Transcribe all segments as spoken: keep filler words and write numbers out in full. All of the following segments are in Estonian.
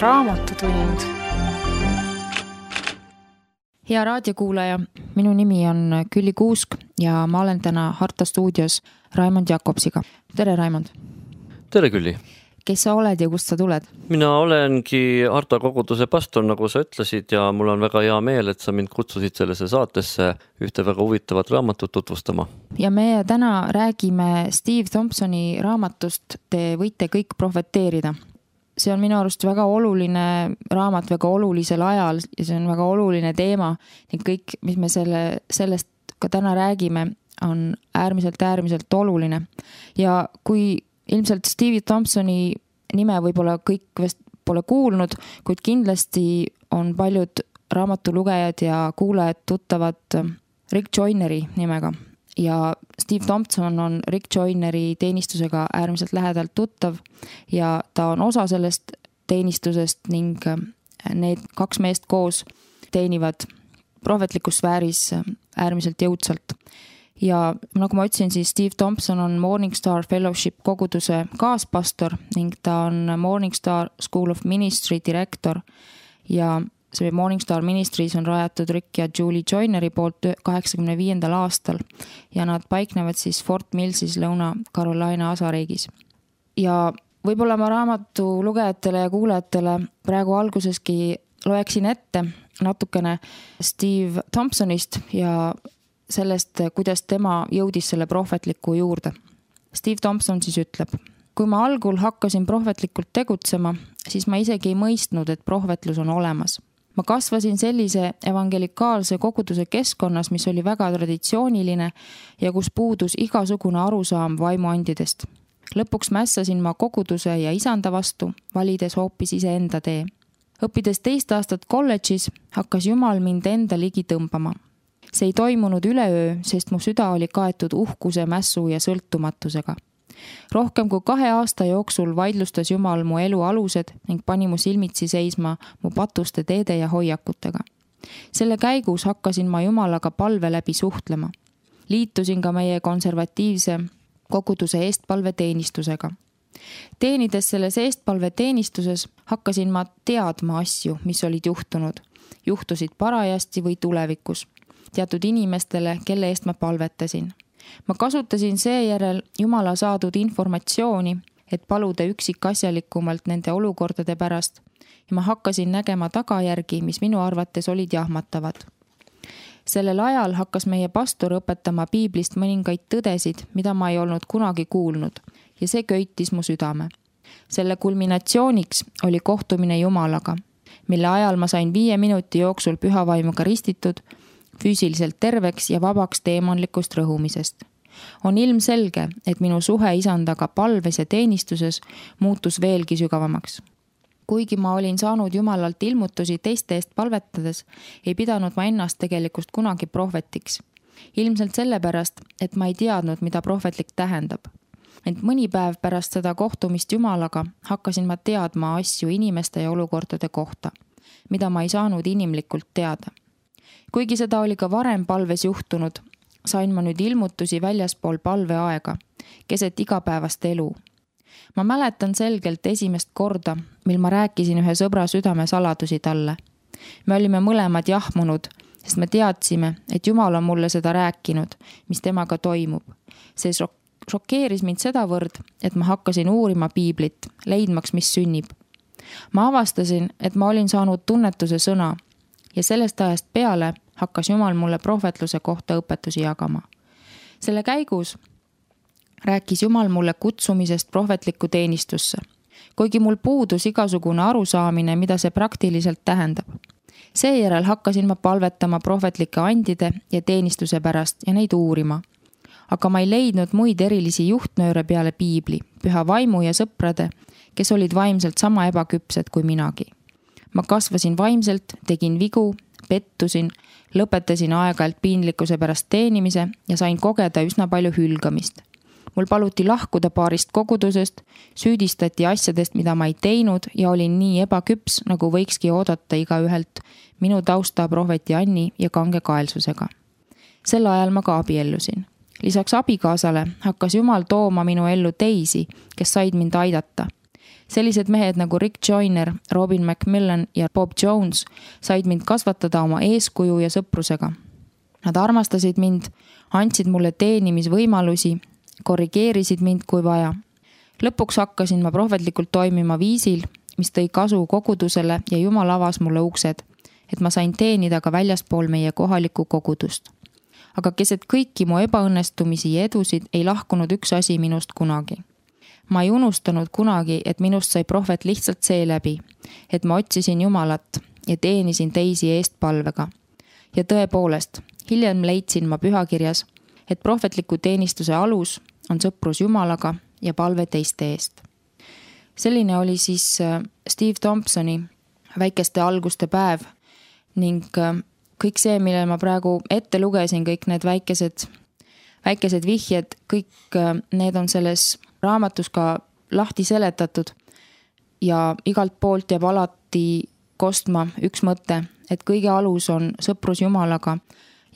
Raamatutund. Hea raadiokuulaja, minu nimi on Külli Kuusk ja ma olen täna Harta stuudios Raimond Jakobsiga. Tere, Raimond! Tere, Külli! Kes sa oled ja kust sa tuled? Mina olengi Harta koguduse pastor, nagu sa ütlesid, ja mul on väga hea meel, et sa mind kutsusid sellesse saatesse ühte väga huvitavat raamatut tutvustama. Ja me täna räägime Steve Thompsoni raamatust Te võite kõik profeteerida. See on minu arust väga oluline raamat väga olulisel ajal ja see on väga oluline teema ning kõik, mis me selle, sellest ka täna räägime, on äärmiselt, äärmiselt oluline. Ja kui ilmselt Steve Thompsoni nime võib-olla kõik vist pole kuulnud, kuid kindlasti on paljud raamatulugejad ja kuulajad tuttavad Rick Joyneri nimega. Ja Steve Thompson on Rick Joyneri teenistusega äärmiselt lähedalt tuttav ja ta on osa sellest teenistusest ning need kaks meest koos teenivad prohvetlikus sfääris äärmiselt jõudsalt. Ja nagu ma ütlesin, siis Steve Thompson on Morningstar Fellowship koguduse kaaspastor ning ta on Morningstar School of Ministry direktor ja see Morningstar Ministries on rajatud Rick ja Julie Joyneri poolt kaheksakümne viiendal aastal ja nad paiknevad siis Fort Millsis Lõuna-Carolina asariigis. Ja võib-olla ma raamatu lugejatele ja kuulajatele praegu alguseski loeksin ette natukene Steve Thompsonist ja sellest, kuidas tema jõudis selle prohvetliku juurde. Steve Thompson siis ütleb: kui ma algul hakkasin prohvetlikult tegutsema, siis ma isegi ei mõistnud, et prohvetlus on olemas. Ma kasvasin sellise evangelikaalse koguduse keskkonnas, mis oli väga traditsiooniline ja kus puudus igasugune arusaam vaimuandidest. Lõpuks mässasin ma koguduse ja isanda vastu, valides hoopis iseenda tee. Õppides teist aastat kolledžis, hakkas Jumal mind enda ligi tõmbama. See ei toimunud üleöö, sest mu süda oli kaetud uhkuse, mässu ja sõltumatusega. Rohkem kui kahe aasta jooksul vaidlustas Jumal mu elu alused ning pani mu silmitsi seisma mu patuste teede ja hoiakutega. Selle käigus hakkasin ma Jumalaga palve läbi suhtlema. Liitusin ka meie konservatiivse koguduse eestpalveteenistusega. Teenides selles eestpalveteenistuses hakkasin ma teadma asju, mis olid juhtunud. Juhtusid parajasti või tulevikus. Teatud inimestele, kelle eest ma palvetasin. Ma kasutasin seejärel Jumala saadud informatsiooni, et paluda üksikasjalikumalt nende olukordade pärast ja ma hakkasin nägema tagajärgi, mis minu arvates olid jahmatavad. Sellel ajal hakkas meie pastor õpetama piiblist mõningaid tõdesid, mida ma ei olnud kunagi kuulnud ja see köitis mu südame. Selle kulminatsiooniks oli kohtumine Jumalaga, mille ajal ma sain viie minuti jooksul pühavaimuga ristitud, füüsiliselt terveks ja vabaks teemonlikust rõhumisest. On ilmselge, et minu suhe isandaga palves ja teenistuses muutus veelgi sügavamaks. Kuigi ma olin saanud Jumalalt ilmutusi teiste eest palvetades, ei pidanud ma ennast tegelikult kunagi prohvetiks. Ilmselt sellepärast, et ma ei teadnud, mida prohvetlik tähendab. Ent mõni päev pärast seda kohtumist Jumalaga hakkasin ma teadma asju inimeste ja olukordade kohta, mida ma ei saanud inimlikult teada. Kuigi seda oli ka varem palves juhtunud, sain ma nüüd ilmutusi väljaspool palveaega, keset igapäevast elu. Ma mäletan selgelt esimest korda, mil ma rääkisin ühe sõbra südame saladusi talle. Me olime mõlemad jahmunud, sest me teadsime, et Jumal on mulle seda rääkinud, mis temaga toimub. See šokeeris mind sedavõrd, et ma hakkasin uurima piiblit, leidmaks, mis sünnib. Ma avastasin, et ma olin saanud tunnetuse sõna, ja sellest ajast peale hakkas Jumal mulle prohvetluse kohta õpetusi jagama. Selle käigus rääkis Jumal mulle kutsumisest prohvetlikku teenistusse, kuigi mul puudus igasugune arusaamine, mida see praktiliselt tähendab. Seejärel hakkasin ma palvetama prohvetlike andide ja teenistuse pärast ja neid uurima. Aga ma ei leidnud muid erilisi juhtnööre peale piibli, püha vaimu ja sõprade, kes olid vaimselt sama ebaküpsed kui minagi. Ma kasvasin vaimselt, tegin vigu, pettusin, lõpetasin aeg-ajalt piinlikkuse pärast teenimise ja sain kogeda üsna palju hülgamist. Mul paluti lahkuda paarist kogudusest, süüdistati asjadest, mida ma ei teinud ja olin nii ebaküps, nagu võikski oodata iga ühelt minu tausta prohveti Anni ja kange kaelsusega. Sel ajal ma ka abiellusin. Lisaks abikaasale hakkas Jumal tooma minu ellu teisi, kes said mind aidata. Sellised mehed nagu Rick Joyner, Robin McMillan ja Bob Jones said mind kasvatada oma eeskuju ja sõprusega. Nad armastasid mind, andsid mulle teenimisvõimalusi, korrigeerisid mind kui vaja. Lõpuks hakkasin ma prohvetlikult toimima viisil, mis tõi kasu kogudusele ja Jumal avas mulle uksed, et ma sain teenida ka väljaspool meie kohalikku kogudust. Aga keset kõiki mu ebaõnnestumisi ja edusid ei lahkunud üks asi minust kunagi. Ma ei unustanud kunagi, et minust sai prohvet lihtsalt seeläbi, et ma otsisin Jumalat ja teenisin teisi eestpalvega. Ja tõepoolest, hiljem leidsin ma pühakirjas, et prohvetliku teenistuse alus on sõprus Jumalaga ja palve teiste eest. Selline oli siis Steve Thompsoni väikeste alguste päev ning kõik see, mille ma praegu ette lugesin, kõik need väikesed, väikesed vihjed, kõik need on selles raamatus ka lahti seletatud ja igalt poolt jääb alati kostma üks mõte, et kõige alus on sõprus Jumalaga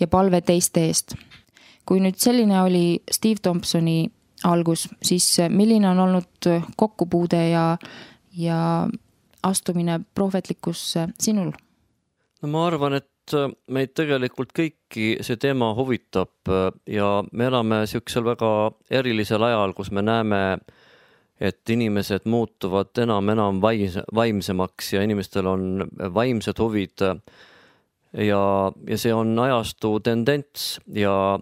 ja palve teiste eest. Kui nüüd selline oli Steve Thompsoni algus, siis milline on olnud kokkupuude ja, ja astumine prohvetlikusse sinul? No ma arvan, et meid tegelikult kõiki see teema huvitab ja me elame siuksel väga erilisel ajal, kus me näeme, et inimesed muutuvad enam-enam vaimsemaks ja inimestel on vaimsed huvid ja, ja see on ajastu tendents ja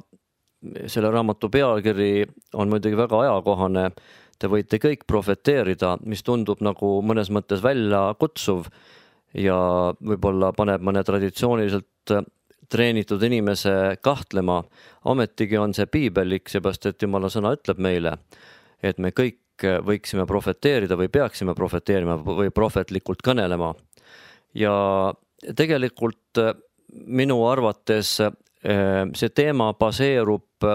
selle raamatu pealkiri on muidugi väga ajakohane. Te võite kõik profeteerida, mis tundub nagu mõnes mõttes välja kutsuv ja võib-olla paneb mõne traditsiooniliselt treenitud inimese kahtlema. Ometigi on see piibellik, seepärast et Jumala sõna ütleb meile, et me kõik võiksime profeteerida või peaksime profeteerima või prohvetlikult kõnelema. Ja tegelikult minu arvates see teema baseerub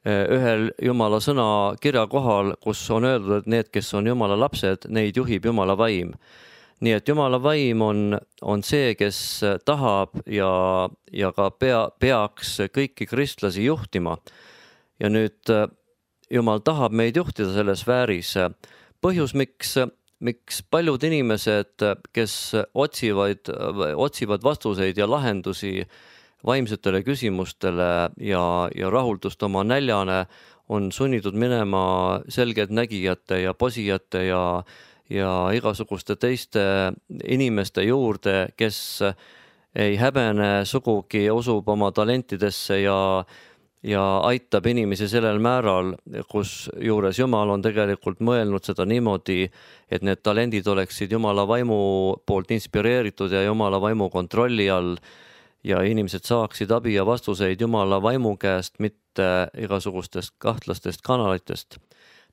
ühel Jumala sõna kirja kohal, kus on öeldud, et need, kes on Jumala lapsed, neid juhib Jumala vaim. Nii et Jumala vaim on, on see, kes tahab ja, ja ka pea, peaks kõiki kristlasi juhtima. Ja nüüd Jumal tahab meid juhtida selles sfääris. Põhjus, miks, miks paljud inimesed, kes otsivad, otsivad vastuseid ja lahendusi vaimsetele küsimustele ja, ja rahuldust oma näljane, on sunnitud minema selged nägijate ja posijate ja, ja igasuguste teiste inimeste juurde, kes ei häbene sugugi, usub oma talentidesse ja, ja aitab inimesi sellel määral, kus juures Jumal on tegelikult mõelnud seda niimoodi, et need talendid oleksid Jumala vaimu poolt inspireeritud ja Jumala vaimu kontrolli all ja inimesed saaksid abi ja vastuseid Jumala vaimu käest, mitte igasugustest kahtlastest kanalitest.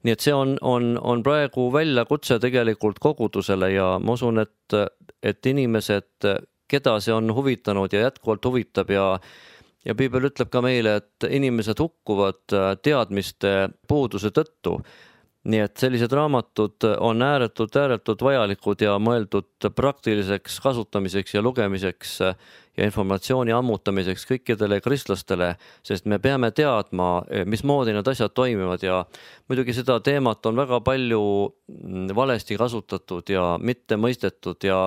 Nii et see on, on, on praegu väljakutse tegelikult kogudusele ja ma usun, et, et inimesed, keda see on huvitanud ja jätkuvalt huvitab ja, ja Piibel ütleb ka meile, et inimesed hukkuvad teadmiste puuduse tõttu. Nii et sellised raamatud on ääretult, ääretult vajalikud ja mõeldud praktiliseks kasutamiseks ja lugemiseks ja informatsiooni ammutamiseks kõikidele kristlastele, sest me peame teadma, mismoodi need asjad toimivad ja muidugi seda teemat on väga palju valesti kasutatud ja mitte mõistetud ja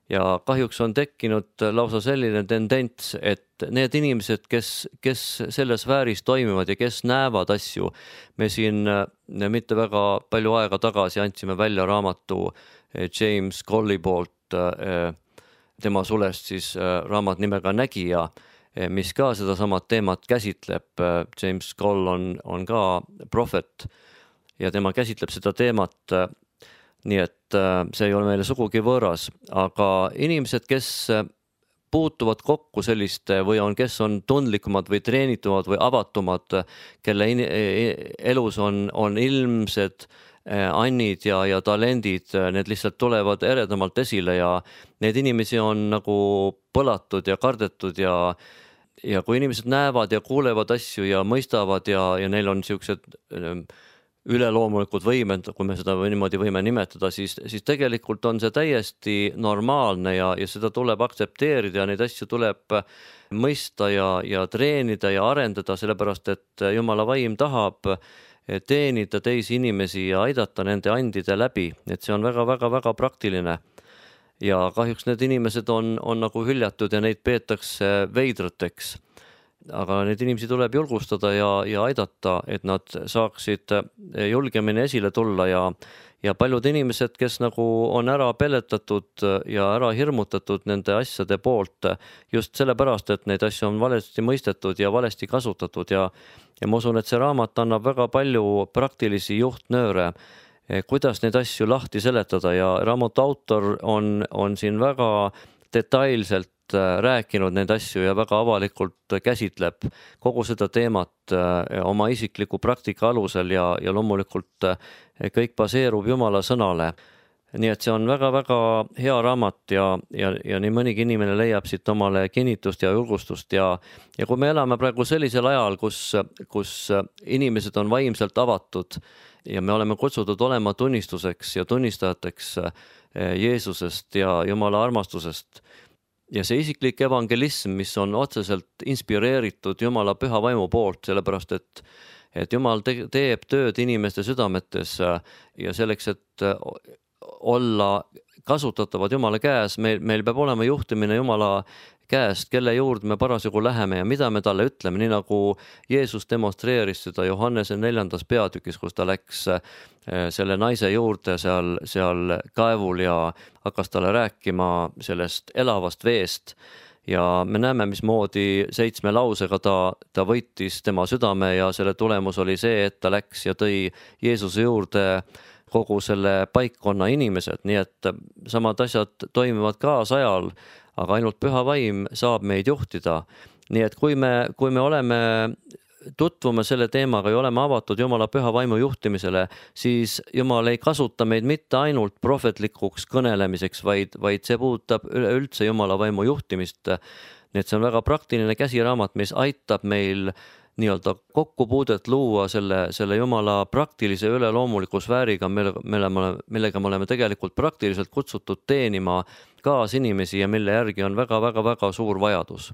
Ja kahjuks on tekkinud lausa selline tendents, et need inimesed, kes, kes selles sfääris toimivad ja kes näevad asju, me siin mitte väga palju aega tagasi andsime välja raamatu James Colli poolt, tema sulest siis raamat nimega Nägija, mis ka seda samat teemat käsitleb. James Coll on, on ka prohvet ja tema käsitleb seda teemat. Nii et see ei ole meile sugugi võõras, aga inimesed, kes puutuvad kokku selliste või on, kes on tundlikumad või treenitumad või avatumad, kelle elus on, on ilmsed annid ja, ja talendid, need lihtsalt tulevad eredamalt esile ja need inimesi on nagu põlatud ja kardetud ja, ja kui inimesed näevad ja kuulevad asju ja mõistavad ja, ja neil on siuksed üleloomulikud võimed, kui me seda niimoodi võime nimetada, siis, siis tegelikult on see täiesti normaalne ja, ja seda tuleb aktsepteerida ja neid asju tuleb mõista ja, ja treenida ja arendada, sellepärast et Jumala vaim tahab, teenida teisi inimesi ja aidata nende andide läbi, et see on väga-väga-väga praktiline. Ja kahjuks need inimesed on, on nagu hüljatud ja neid peetakse veidrateks. Aga need inimesi tuleb julgustada ja, ja aidata, et nad saaksid julgemini esile tulla ja, ja paljud inimesed, kes nagu on ära pelletatud ja ära hirmutatud nende asjade poolt just sellepärast, et neid asju on valesti mõistetud ja valesti kasutatud ja, ja ma usun, et see raamat annab väga palju praktilisi juhtnööre, kuidas neid asju lahti seletada ja raamatu autor on, on siin väga detailselt rääkinud neid asju ja väga avalikult käsitleb kogu seda teemat oma isikliku praktika alusel ja, ja loomulikult kõik baseerub Jumala sõnale. Nii et see on väga-väga hea raamat ja, ja, ja nii mõnigi inimene leiab siit omale kinnitust ja julgustust ja, ja kui me elame praegu sellisel ajal, kus, kus inimesed on vaimselt avatud ja me oleme kutsutud olema tunnistuseks ja tunnistajateks Jeesusest ja Jumala armastusest, ja see isiklik evangelism, mis on otseselt inspireeritud Jumala püha vaimu poolt, sellepärast et, et Jumal te, teeb tööd inimeste südametes ja selleks, et olla kasutatavad Jumala käes, meil, meil peab olema juhtimine Jumala käest, kelle juurde me parasjagu läheme ja mida me talle ütleme, nii nagu Jeesus demonstreeris seda Johannese neljandas peatükis, kus ta läks selle naise juurde seal, seal kaevul ja hakkas talle rääkima sellest elavast veest. Ja me näeme, mismoodi seitsme lausega ta, ta võitis tema südame ja selle tulemus oli see, et ta läks ja tõi Jeesuse juurde kogu selle paikkonna inimesed, nii et samad asjad toimivad kaasajal, aga ainult püha vaim saab meid juhtida. Nii et kui me, kui me oleme tutvume selle teemaga ja oleme avatud Jumala püha vaimu juhtimisele, siis Jumal ei kasuta meid mitte ainult prohvetlikuks kõnelemiseks, vaid, vaid see puudutab üleüldse Jumala vaimu juhtimist. Nii et see on väga praktiline käsiraamat, mis aitab meil nii-öelda kokkupuudet luua selle, selle Jumala praktilise üleloomuliku sfääriga, mille, millega me oleme tegelikult praktiliselt kutsutud teenima kaasinimesi ja mille järgi on väga-väga-väga suur vajadus.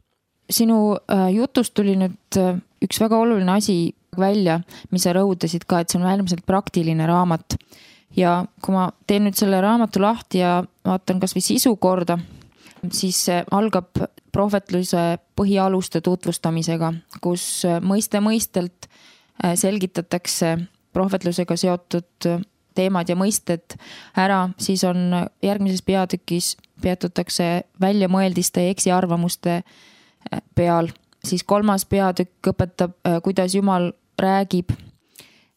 Sinu jutust tuli nüüd üks väga oluline asi välja, mis sa rõhutasid ka, et see on äärmiselt praktiline raamat. Ja kui ma teen nüüd selle raamatu lahti ja vaatan kas või sisu korda, siis algab prohvetluse põhialuste tutvustamisega, kus mõiste mõistelt selgitatakse prohvetlusega seotud teemad ja mõisted ära, siis on järgmises peatükis peatutakse väljamõeldiste ja eksiarvamuste peal, siis kolmas peatükk õpetab, kuidas Jumal räägib.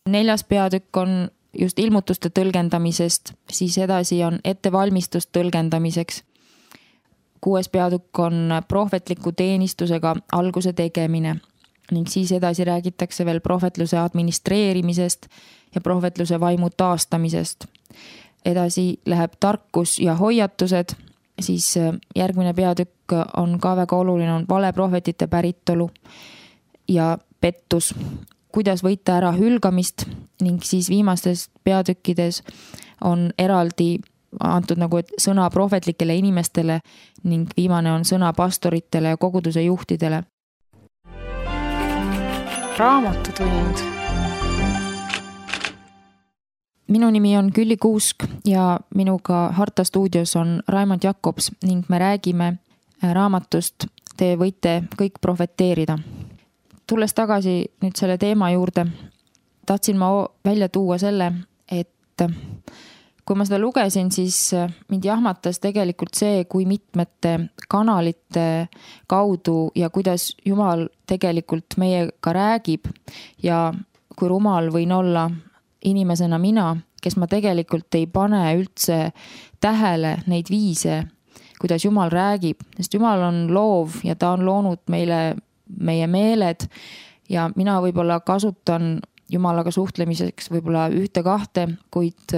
Neljas peatükk on just ilmutuste tõlgendamisest, siis edasi on ettevalmistust tõlgendamiseks. Kuues peatükk on prohvetliku teenistusega alguse tegemine ning siis edasi räägitakse veel prohvetluse administreerimisest ja prohvetluse vaimu taastamisest. Edasi läheb tarkus ja hoiatused, siis järgmine peatükk on ka väga oluline, on valeprohvetite päritolu ja pettus, kuidas võita ära hülgamist ning siis viimastes peatükkides on eraldi antud nagu et sõna prohvetlikele inimestele ning viimane on sõna pastoritele ja koguduse juhtidele. Raamatutund. Minu nimi on Külli Kuusk ja minuga Harta stuudios on Raimond Jakobs ning me räägime raamatust Te võite kõik profeteerida. Tulles tagasi nüüd selle teema juurde, tahtsin ma välja tuua selle, et kui ma seda lugesin, siis mind jahmatas tegelikult see, kui mitmete kanalite kaudu ja kuidas Jumal tegelikult meiega räägib ja kui rumal võin olla inimesena mina, kes ma tegelikult ei pane üldse tähele neid viise, kuidas Jumal räägib, sest Jumal on loov ja ta on loonud meile meie meeled ja mina võib-olla kasutan Jumalaga suhtlemiseks võib-olla ühte kahte, kuid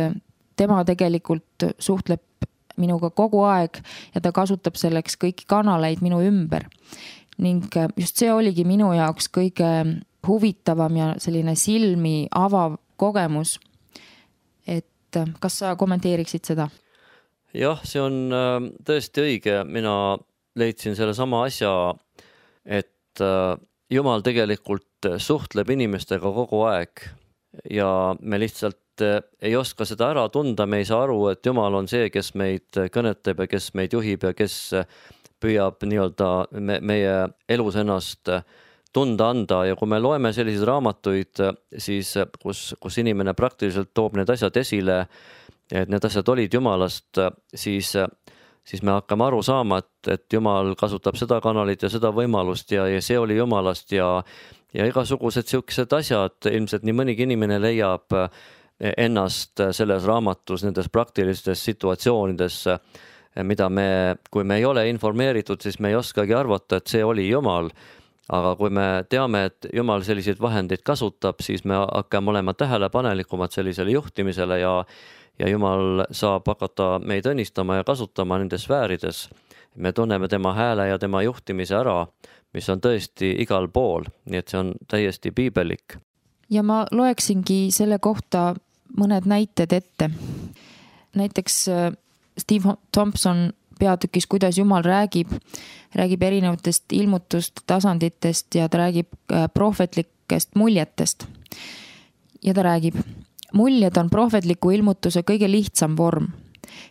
tema tegelikult suhtleb minuga kogu aeg ja ta kasutab selleks kõiki kanaleid minu ümber. Ning just see oligi minu jaoks kõige huvitavam ja selline silmi avav kogemus. Et kas sa kommenteeriksid seda? Jah, see on tõesti õige. Mina leidsin selle sama asja, et Jumal tegelikult suhtleb inimestega kogu aeg ja me lihtsalt ei oska seda ära tunda, me ei saa aru, et Jumal on see, kes meid kõnetab ja kes meid juhib ja kes püüab nii-öelda me, meie elus ennast tunda anda ja kui me loeme selliseid raamatuid, siis kus, kus inimene praktiliselt toob need asjad esile, et need asjad olid Jumalast, siis, siis me hakkame aru saama, et, et Jumal kasutab seda kanalit ja seda võimalust ja, ja see oli Jumalast ja, ja igasugused siuksed asjad, ilmselt nii mõnigi inimene leiab ennast selles raamatus, nendes praktilistes situatsioonides, mida me, kui me ei ole informeeritud, siis me ei oskagi arvata, et see oli Jumal. Aga kui me teame, et Jumal selliseid vahendeid kasutab, siis me hakkame olema tähelepanelikumad sellisele juhtimisele ja, ja Jumal saab hakata meid õnnistama ja kasutama nendes sfäärides. Me tunneme tema hääle ja tema juhtimise ära, mis on tõesti igal pool, nii et see on täiesti piibelik. Ja ma loeksingi selle kohta mõned näited ette. Näiteks Steve Thompson peatükis, kuidas Jumal räägib, räägib erinevatest ilmutust tasanditest ja ta räägib prohvetlikest muljetest. Ja ta räägib, muljed on prohvetliku ilmutuse kõige lihtsam vorm.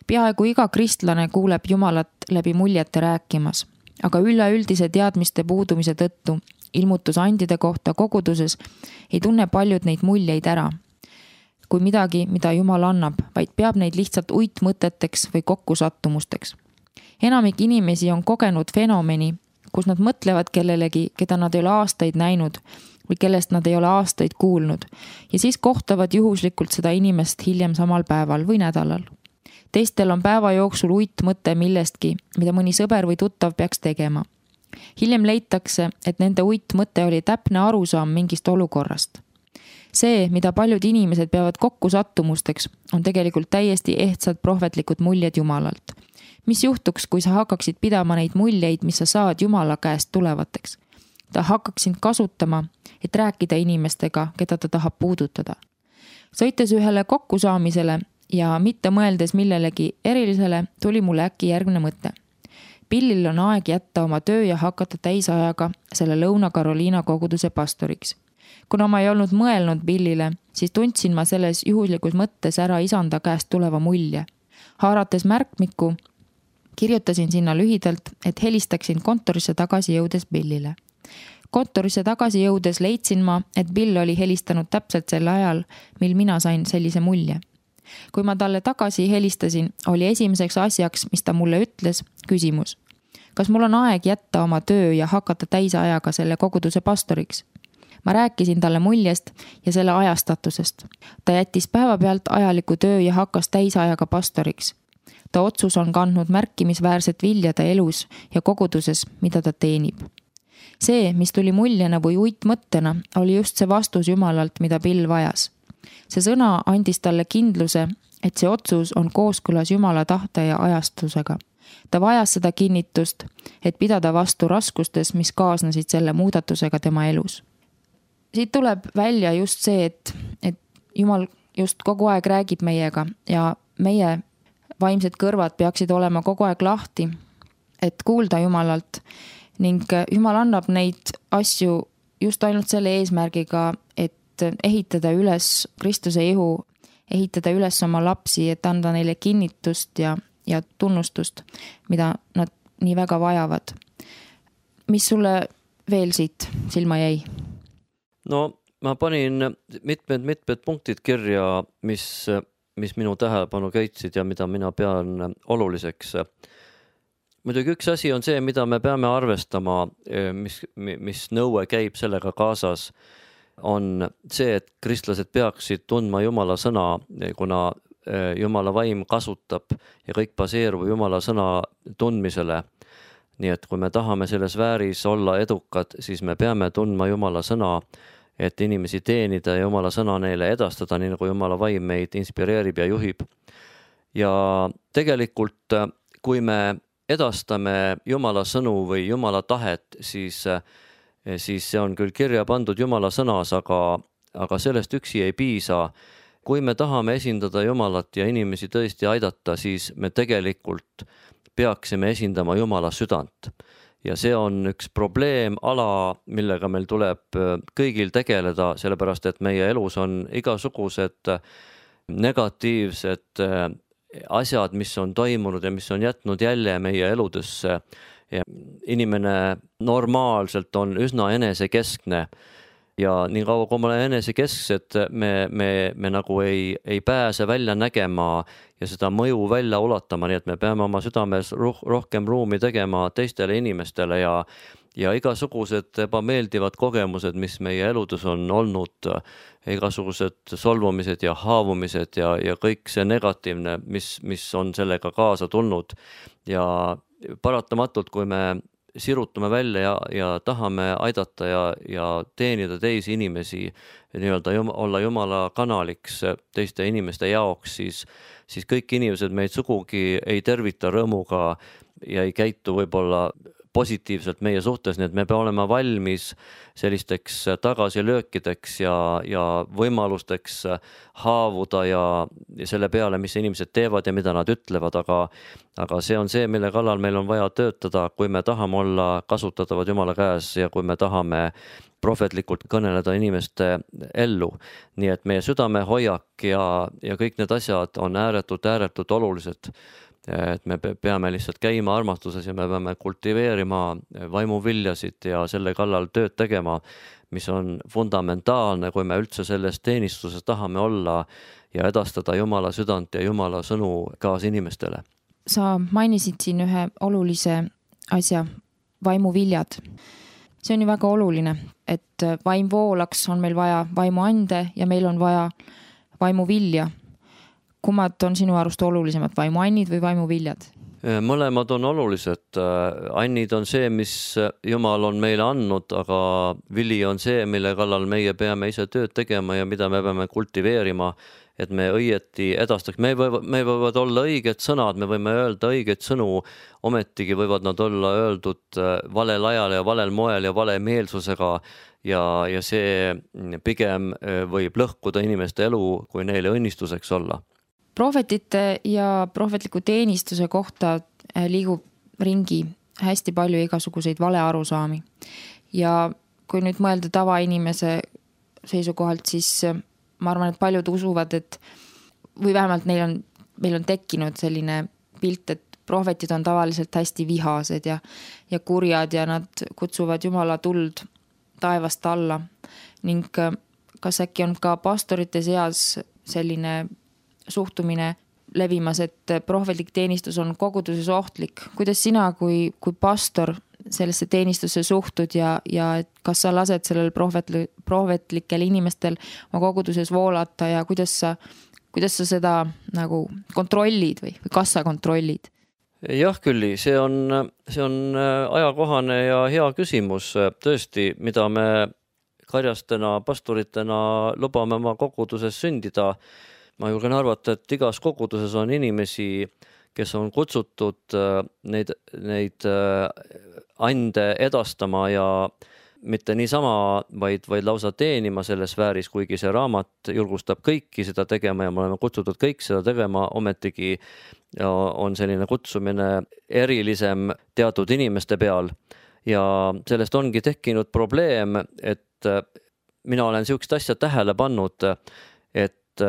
Peaaegu iga kristlane kuuleb Jumalat läbi muljete rääkimas, aga üleüldise teadmiste puudumise tõttu ilmutusandide kohta koguduses ei tunne paljud neid muljeid ära kui midagi, mida Jumal annab, vaid peab neid lihtsalt uitmõteteks või kokkusattumusteks. Enamik inimesi on kogenud fenomeni, kus nad mõtlevad kellelegi, keda nad ei ole aastaid näinud või kellest nad ei ole aastaid kuulnud ja siis kohtavad juhuslikult seda inimest hiljem samal päeval või nädalal. Teistel on päeva jooksul uitmõte millestki, mida mõni sõber või tuttav peaks tegema. Hiljem leitakse, et nende uitmõte oli täpne arusaam mingist olukorrast. See, mida paljud inimesed peavad kokkusattumusteks, on tegelikult täiesti ehtsad prohvetlikud muljed Jumalalt. Mis juhtuks, kui sa hakkaksid pidama neid muljeid, mis sa saad Jumala käest tulevateks? Ta hakkaksid kasutama, et rääkida inimestega, keda ta tahab puudutada. Sõites ühele kokkusaamisele ja mitte mõeldes millelegi erilisele, tuli mulle äkki järgmine mõte. Billil on aeg jätta oma töö ja hakata täisajaga selle Lõuna-Carolina koguduse pastoriks. Kuna ma ei olnud mõelnud Billile, siis tundsin ma selles juhuslikus mõttes ära isanda käest tuleva mulje. Haarates märkmiku, kirjutasin sinna lühidalt, et helistaksin kontorisse tagasi jõudes Billile. Kontorisse tagasi jõudes leidsin ma, et Bill oli helistanud täpselt sel ajal, mil mina sain sellise mulje. Kui ma talle tagasi helistasin, oli esimeseks asjaks, mis ta mulle ütles, küsimus. Kas mul on aeg jätta oma töö ja hakata täisajaga selle koguduse pastoriks? Ma rääkisin talle muljest ja selle ajastatusest. Ta jättis päevapealt ajaliku töö ja hakkas täisajaga pastoriks. Ta otsus on kandnud märkimisväärset viljade elus ja koguduses, mida ta teenib. See, mis tuli muljena või uitmõttena, oli just see vastus Jumalalt, mida Bill vajas. See sõna andis talle kindluse, et see otsus on kooskõlas Jumala tahte ja ajastusega. Ta vajas seda kinnitust, et pidada vastu raskustes, mis kaasnesid selle muudatusega tema elus. Siit tuleb välja just see, et, et Jumal just kogu aeg räägib meiega ja meie vaimsed kõrvad peaksid olema kogu aeg lahti, et kuulda Jumalalt ning Jumal annab neid asju just ainult selle eesmärgiga, et ehitada üles Kristuse ihu, ehitada üles oma lapsi, et anda neile kinnitust ja, ja tunnustust, mida nad nii väga vajavad. Mis sulle veel siit silma jäi? No ma panin mitmed-mitmed punktid kirja, mis, mis minu tähelepanu köitsid ja mida mina pean oluliseks. Muidugi üks asi on see, mida me peame arvestama, mis, mis nõue käib sellega kaasas, on see, et kristlased peaksid tundma Jumala sõna, kuna Jumala vaim kasutab ja kõik baseerub Jumala sõna tundmisele. Nii et kui me tahame selles vääris olla edukad, siis me peame tundma Jumala sõna, et inimesi teenida ja Jumala sõna neile edastada, nii nagu Jumala vaim meid inspireerib ja juhib. Ja tegelikult, kui me edastame Jumala sõnu või Jumala tahet, siis, siis see on küll kirja pandud Jumala sõnas, aga, aga sellest üksi ei piisa. Kui me tahame esindada Jumalat ja inimesi tõesti aidata, siis me tegelikult peaksime esindama Jumala südant. ja see on üks probleemala, millega meil tuleb kõigil tegeleda, sellepärast et meie elus on igasugused negatiivsed asjad, mis on toimunud ja mis on jätnud jälje meie eludesse. Ja inimene normaalselt on üsna enesekeskne ja nii kaua, kui me oleme enesekesksed, me, me, me nagu ei, ei pääse välja nägema ja seda mõju välja ulatama, nii et me peame oma südames roh- rohkem ruumi tegema teistele inimestele ja, ja igasugused ebameeldivad kogemused, mis meie eludes on olnud, igasugused solvumised ja haavumised ja, ja kõik see negatiivne, mis, mis on sellega kaasa tulnud ja paratamatult, kui me sirutame välja ja, ja tahame aidata ja, ja teenida teisi inimesi, nii-öelda jum, olla Jumala kanaliks teiste inimeste jaoks, siis, siis kõik inimesed meid sugugi ei tervita rõõmuga ja ei käitu võib-olla positiivselt meie suhtes, nii et me peame olema valmis sellisteks tagasilöökideks ja, ja võimalusteks haavuda ja, ja selle peale, mis inimesed teevad ja mida nad ütlevad, aga, aga see on see, mille kallal meil on vaja töötada, kui me tahame olla kasutatavad Jumala käes ja kui me tahame prohvetlikult kõneleda inimeste ellu. Nii et meie südamehoiak ja, ja kõik need asjad on ääretult, ääretult olulised. Et me peame lihtsalt käima armastuses ja me peame kultiveerima vaimuviljasid ja selle kallal tööd tegema, mis on fundamentaalne, kui me üldse selles teenistuses tahame olla ja edastada Jumala südant ja Jumala sõnu kaasinimestele. Sa mainisid siin ühe olulise asja, vaimuviljad. See on ju väga oluline, et vaim voolaks, on meil vaja vaimuande ja meil on vaja vaimuvilja. Kummad on sinu arust olulisemad, vaimuannid või vaimuviljad? Mõlemad on olulised. Annid on see, mis Jumal on meile andnud, aga vili on see, mille kallal meie peame ise tööd tegema ja mida me peame kultiveerima, et me õieti edastaks. Me võivad, me võivad olla õiged sõnad, me võime öelda õigeid sõnu, ometigi võivad nad olla öeldud valel ajal ja valel moel ja vale meelsusega ja, ja see pigem võib lõhkuda inimeste elu, kui neile õnnistuseks olla. Prohvetite ja prohvetliku teenistuse kohta liigub ringi hästi palju igasuguseid valearusaami. Ja kui nüüd mõelda tavainimese seisukohalt, siis ma arvan, et paljud usuvad, et või vähemalt neil on, meil on tekkinud selline pilt, et prohvetid on tavaliselt hästi vihased ja, ja kurjad ja nad kutsuvad Jumala tuld taevast alla. Ning kas äkki on ka pastorite seas selline suhtumine levimas, et prohvetlik teenistus on koguduses ohtlik. Kuidas sina kui, kui pastor sellesse teenistusse suhtud ja, ja kas sa lased sellel prohvetli, prohvetlikel inimestel oma koguduses voolata ja kuidas sa, kuidas sa seda nagu kontrollid või, või kas sa kontrollid? Jah, Külli, see on, see on ajakohane ja hea küsimus. Tõesti, mida me karjastena, pastoritena lubame oma koguduses sündida. Ma julgen arvata, et igas koguduses on inimesi, kes on kutsutud neid, neid ande edastama ja mitte niisama, vaid, vaid lausa teenima selles sfääris, kuigi see raamat julgustab kõiki seda tegema ja me oleme kutsutud kõik seda tegema, ometigi on selline kutsumine erilisem teatud inimeste peal. Ja sellest ongi tekkinud probleem, et mina olen siukest asja tähele pannud, et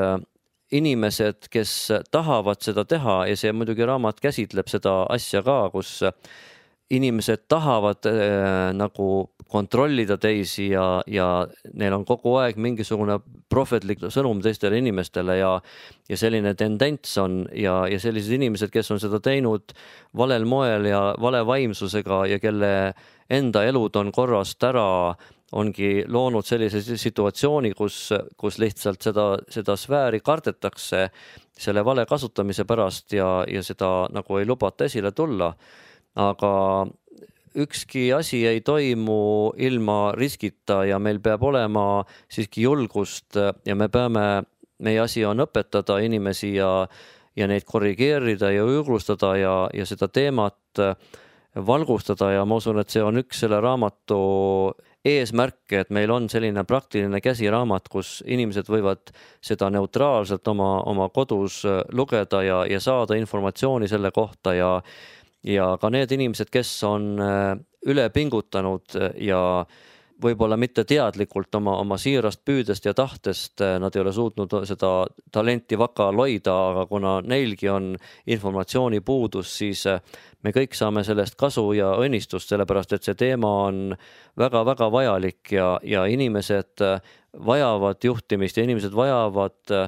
inimesed, kes tahavad seda teha ja see muidugi raamat käsitleb seda asja ka, kus inimesed tahavad äh, nagu kontrollida teisi ja, ja neil on kogu aeg mingisugune prohvetlik sõnum teistele inimestele ja, ja selline tendents on ja, ja sellised inimesed, kes on seda teinud valel moel ja vale vaimsusega ja kelle enda elud on korrast ära, ongi loonud sellise situatsiooni, kus, kus lihtsalt seda, seda sfääri kardetakse selle vale kasutamise pärast ja, ja seda nagu ei lubata esile tulla. Aga ükski asi ei toimu ilma riskita ja meil peab olema siiski julgust ja me peame, meie asi on õpetada inimesi ja, ja neid korrigeerida ja julgustada ja, ja seda teemat valgustada ja ma usun, et see on üks selle raamatu eesmärke, et meil on selline praktiline käsiraamat, kus inimesed võivad seda neutraalselt oma, oma kodus lugeda ja, ja saada informatsiooni selle kohta ja, ja ka need inimesed, kes on üle pingutanud ja võib-olla mitte teadlikult oma, oma siirast püüdest ja tahtest, nad ei ole suutnud seda talenti vakal hoida, aga kuna neilgi on informatsiooni puudus, siis me kõik saame sellest kasu ja õnnistust, sellepärast et see teema on väga-väga vajalik ja, ja inimesed vajavad juhtimist ja inimesed vajavad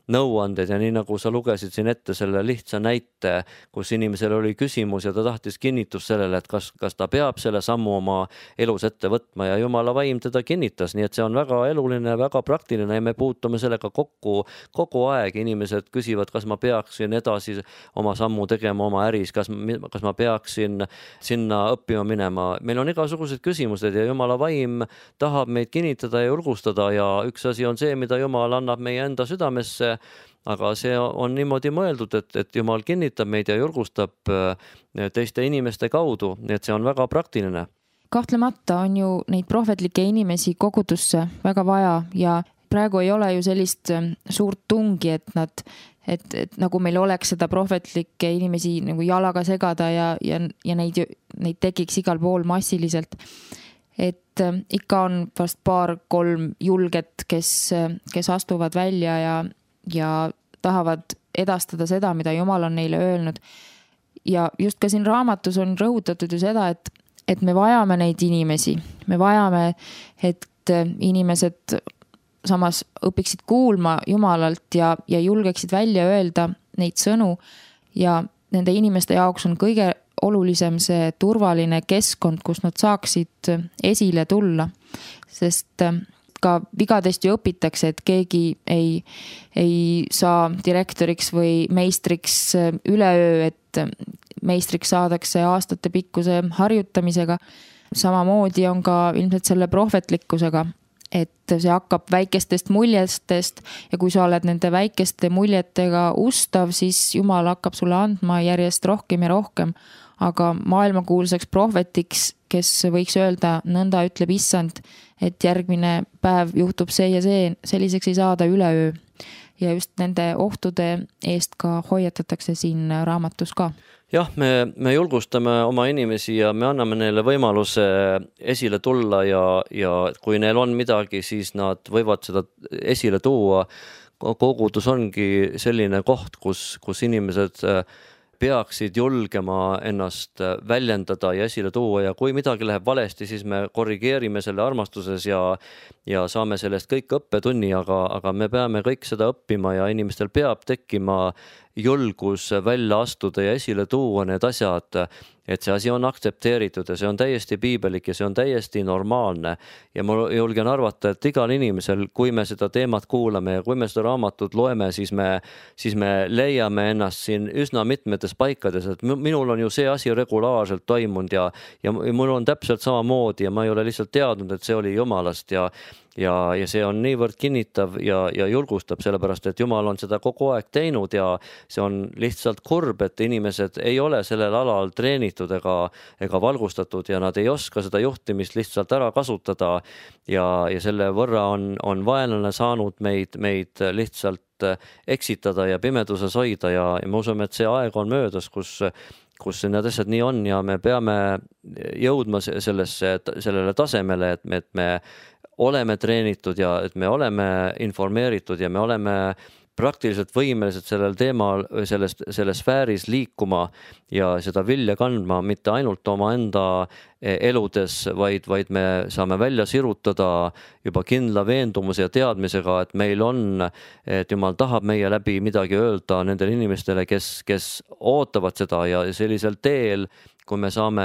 nõuanded ja nii nagu sa lugesid siin ette selle lihtsa näite, kus inimesel oli küsimus ja ta tahtis kinnitust sellele, et kas, kas ta peab selle sammu oma elus ette võtma ja Jumala vaim teda kinnitas, nii et see on väga eluline, väga praktiline ja me puutume sellega kokku kogu aeg. Inimesed küsivad, kas ma peaksin edasi oma sammu tegema oma äris, kas, kas ma peaksin sinna õppima minema. Meil on igasugused küsimused ja Jumala vaim tahab meid kinnitada ja julgustada ja üks asi on see, mida Jumal annab meie enda südamesse, aga see on niimoodi mõeldud, et, et Jumal kinnitab meid ja julgustab teiste inimeste kaudu, nii et see on väga praktiline. Kahtlemata on ju neid prohvetlikke inimesi kogudusse väga vaja ja praegu ei ole ju sellist suurt tungi, et nad, et, et nagu meil oleks seda prohvetlikke inimesi nagu jalaga segada ja, ja, ja neid, neid tekiks igal pool massiliselt. Et ikka on vast paar-kolm julget, kes, kes astuvad välja ja ja tahavad edastada seda, mida Jumal on neile öelnud. Ja just ka siin raamatus on rõhutatud ju seda, et, et me vajame neid inimesi. Me vajame, et inimesed samas õpiksid kuulma Jumalalt ja, ja julgeksid välja öelda neid sõnu ja nende inimeste jaoks on kõige olulisem see turvaline keskkond, kus nad saaksid esile tulla, sest ka vigadest ju õpitakse, et keegi ei, ei saa direktoriks või meistriks üleöö, et meistriks saadakse aastate pikkuse harjutamisega. Samamoodi on ka ilmselt selle prohvetlikkusega, et see hakkab väikestest muljestest ja kui sa oled nende väikeste muljetega ustav, siis Jumal hakkab sulle andma järjest rohkem ja rohkem. Aga maailmakuulsaks prohvetiks, kes võiks öelda, nõnda ütleb issand, et järgmine päev juhtub see ja see, selliseks ei saada üleöö. Ja just nende ohtude eest ka hoiatatakse siin raamatus ka. Jah, me, me julgustame oma inimesi ja me anname neile võimaluse esile tulla ja, ja kui neil on midagi, siis nad võivad seda esile tuua. Kogudus ongi selline koht, kus, kus inimesed peaksid julgema ennast väljendada ja esile tuua ja kui midagi läheb valesti, siis me korrigeerime selle armastuses ja, ja saame sellest kõik õppetunni, aga, aga me peame kõik seda õppima ja inimestel peab tekkima julgus välja astuda ja esile tuua need asjad, et see asi on aktsepteeritud ja see on täiesti piibelik ja see on täiesti normaalne. Ja ma julgen arvata, et igal inimesel, kui me seda teemat kuulame ja kui me seda raamatut loeme, siis me, siis me leiame ennast siin üsna mitmetes paikades, et minul on ju see asi regulaarselt toimunud ja, ja mul on täpselt samamoodi ja ma ei ole lihtsalt teadnud, et see oli Jumalast ja Ja, ja see on niivõrd kinnitav ja, ja julgustab, sellepärast et Jumal on seda kogu aeg teinud ja see on lihtsalt kurb, et inimesed ei ole sellel alal treenitud ega, ega valgustatud ja nad ei oska seda juhtimist lihtsalt ära kasutada ja, ja selle võrra on, on vaenlane saanud meid, meid lihtsalt eksitada ja pimeduses hoida ja, ja me usume, et see aeg on möödas, kus kus need asjad nii on ja me peame jõudma sellesse, sellele tasemele, et me, et me oleme treenitud ja et me oleme informeeritud ja me oleme praktiliselt võimelised sellel teemal, selles, selles sfääris liikuma ja seda vilja kandma mitte ainult oma enda eludes, vaid, vaid me saame välja sirutada juba kindla veendumuse ja teadmisega, et meil on, et Jumal tahab meie läbi midagi öelda nendele inimestele, kes, kes ootavad seda ja sellisel teel, kui me saame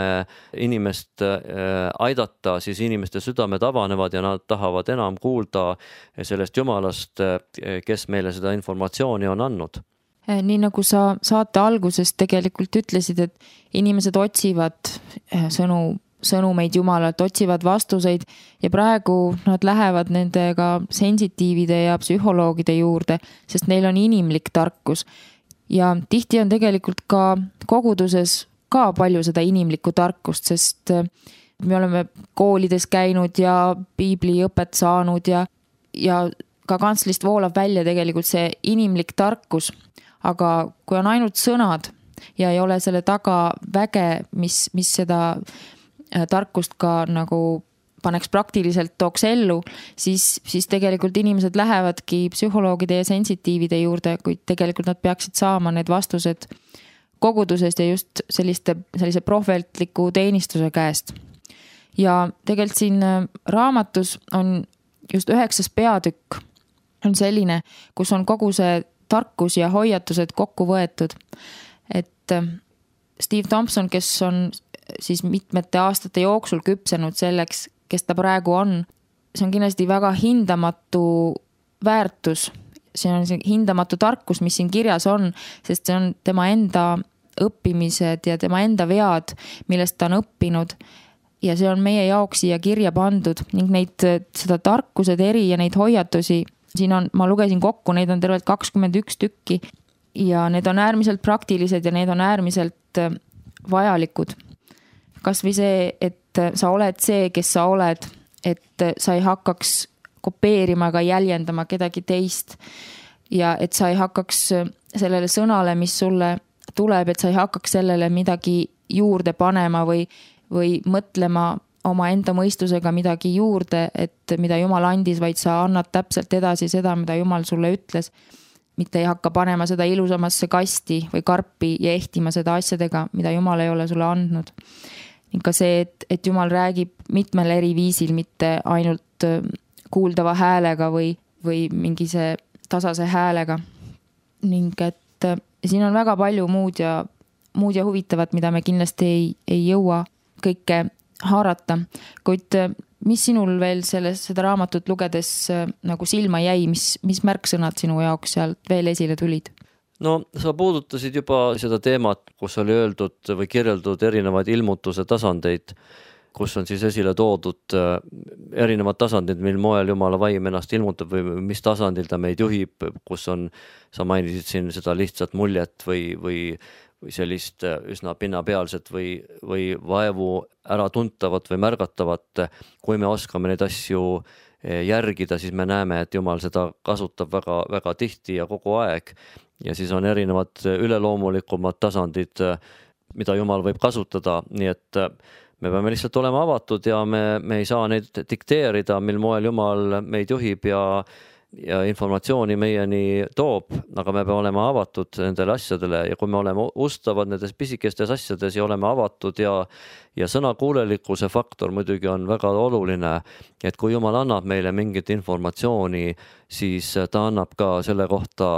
inimest aidata, siis inimeste südamed avanevad ja nad tahavad enam kuulda sellest Jumalast, kes meile seda informatsiooni on andnud. Nii nagu sa saate alguses tegelikult ütlesid, et inimesed otsivad sõnu, sõnumeid Jumalalt, otsivad vastuseid ja praegu nad lähevad nendega sensitiivide ja psühholoogide juurde, sest neil on inimlik tarkus. Ja tihti on tegelikult ka koguduses ka palju seda inimlikku tarkust, sest me oleme koolides käinud ja piibliõpet saanud ja, ja ka kantslist voolab välja tegelikult see inimlik tarkus. Aga kui on ainult sõnad ja ei ole selle taga väge, mis, mis seda tarkust ka nagu paneks praktiliselt tooks ellu, siis, siis tegelikult inimesed lähevadki psühholoogide ja sensitiivide juurde, kuid tegelikult nad peaksid saama need vastused kogudusest ja just selliste, sellise prohvetliku teenistuse käest. Ja tegelikult siin raamatus on just üheksas peatükk on selline, kus on kogu see tarkus ja hoiatused kokku võetud. Et Steve Thompson, kes on siis mitmete aastate jooksul küpsenud selleks, kes ta praegu on, see on kindlasti väga hindamatu väärtus. See on see hindamatu tarkus, mis siin kirjas on, sest see on tema enda õppimised ja tema enda vead, millest ta on õppinud. Ja see on meie jaoks siia kirja pandud ning neid, seda tarkused eri ja neid hoiatusi, siin on, ma lugesin kokku, neid on tervelt kakskümmend üks tükki ja need on äärmiselt praktilised ja need on äärmiselt vajalikud. Kas või see, et sa oled see, kes sa oled, et sa ei hakkaks kopeerima ega jäljendama kedagi teist ja et sa ei hakkaks sellele sõnale, mis sulle tuleb, et sa ei hakkaks sellele midagi juurde panema või, või mõtlema oma enda mõistusega midagi juurde, et mida Jumal andis, vaid sa annad täpselt edasi seda, mida Jumal sulle ütles. Mitte ei hakka panema seda ilusamasse kasti või karpi ja ehtima seda asjadega, mida Jumal ei ole sulle andnud. Ning ka see, et, et Jumal räägib mitmel eri viisil, mitte ainult kuuldava häälega või, või mingi see tasase häälega. Ning et siin on väga palju muud ja, muud ja huvitavat, mida me kindlasti ei, ei jõua kõike haarata. Kuid mis sinul veel selles, seda raamatut lugedes nagu silma jäi, mis, mis märksõnad sinu jaoks sealt veel esile tulid? No sa puudutasid juba seda teemat, kus oli öeldud või kirjeldud erinevaid ilmutuse tasandeid, kus on siis esile toodud erinevad tasandid, mil moel Jumala vaim ennast ilmutab või mis tasandil ta meid juhib, kus on, sa mainisid siin seda lihtsat muljet või, või, või sellist üsna pinnapealset või, või vaevu ära tuntavat või märgatavat. Kui me oskame neid asju järgida, siis me näeme, et Jumal seda kasutab väga, väga tihti ja kogu aeg. Ja siis on erinevad üleloomulikumad tasandid, mida Jumal võib kasutada, nii et me peame lihtsalt olema avatud ja me, me ei saa neid dikteerida, mil moel Jumal meid juhib ja, ja informatsiooni meieni toob, aga me peame olema avatud nendele asjadele ja kui me oleme ustavad nendes pisikestes asjades ja oleme avatud ja, ja sõnakuulelikkuse faktor muidugi on väga oluline, et kui Jumal annab meile mingit informatsiooni, siis ta annab ka selle kohta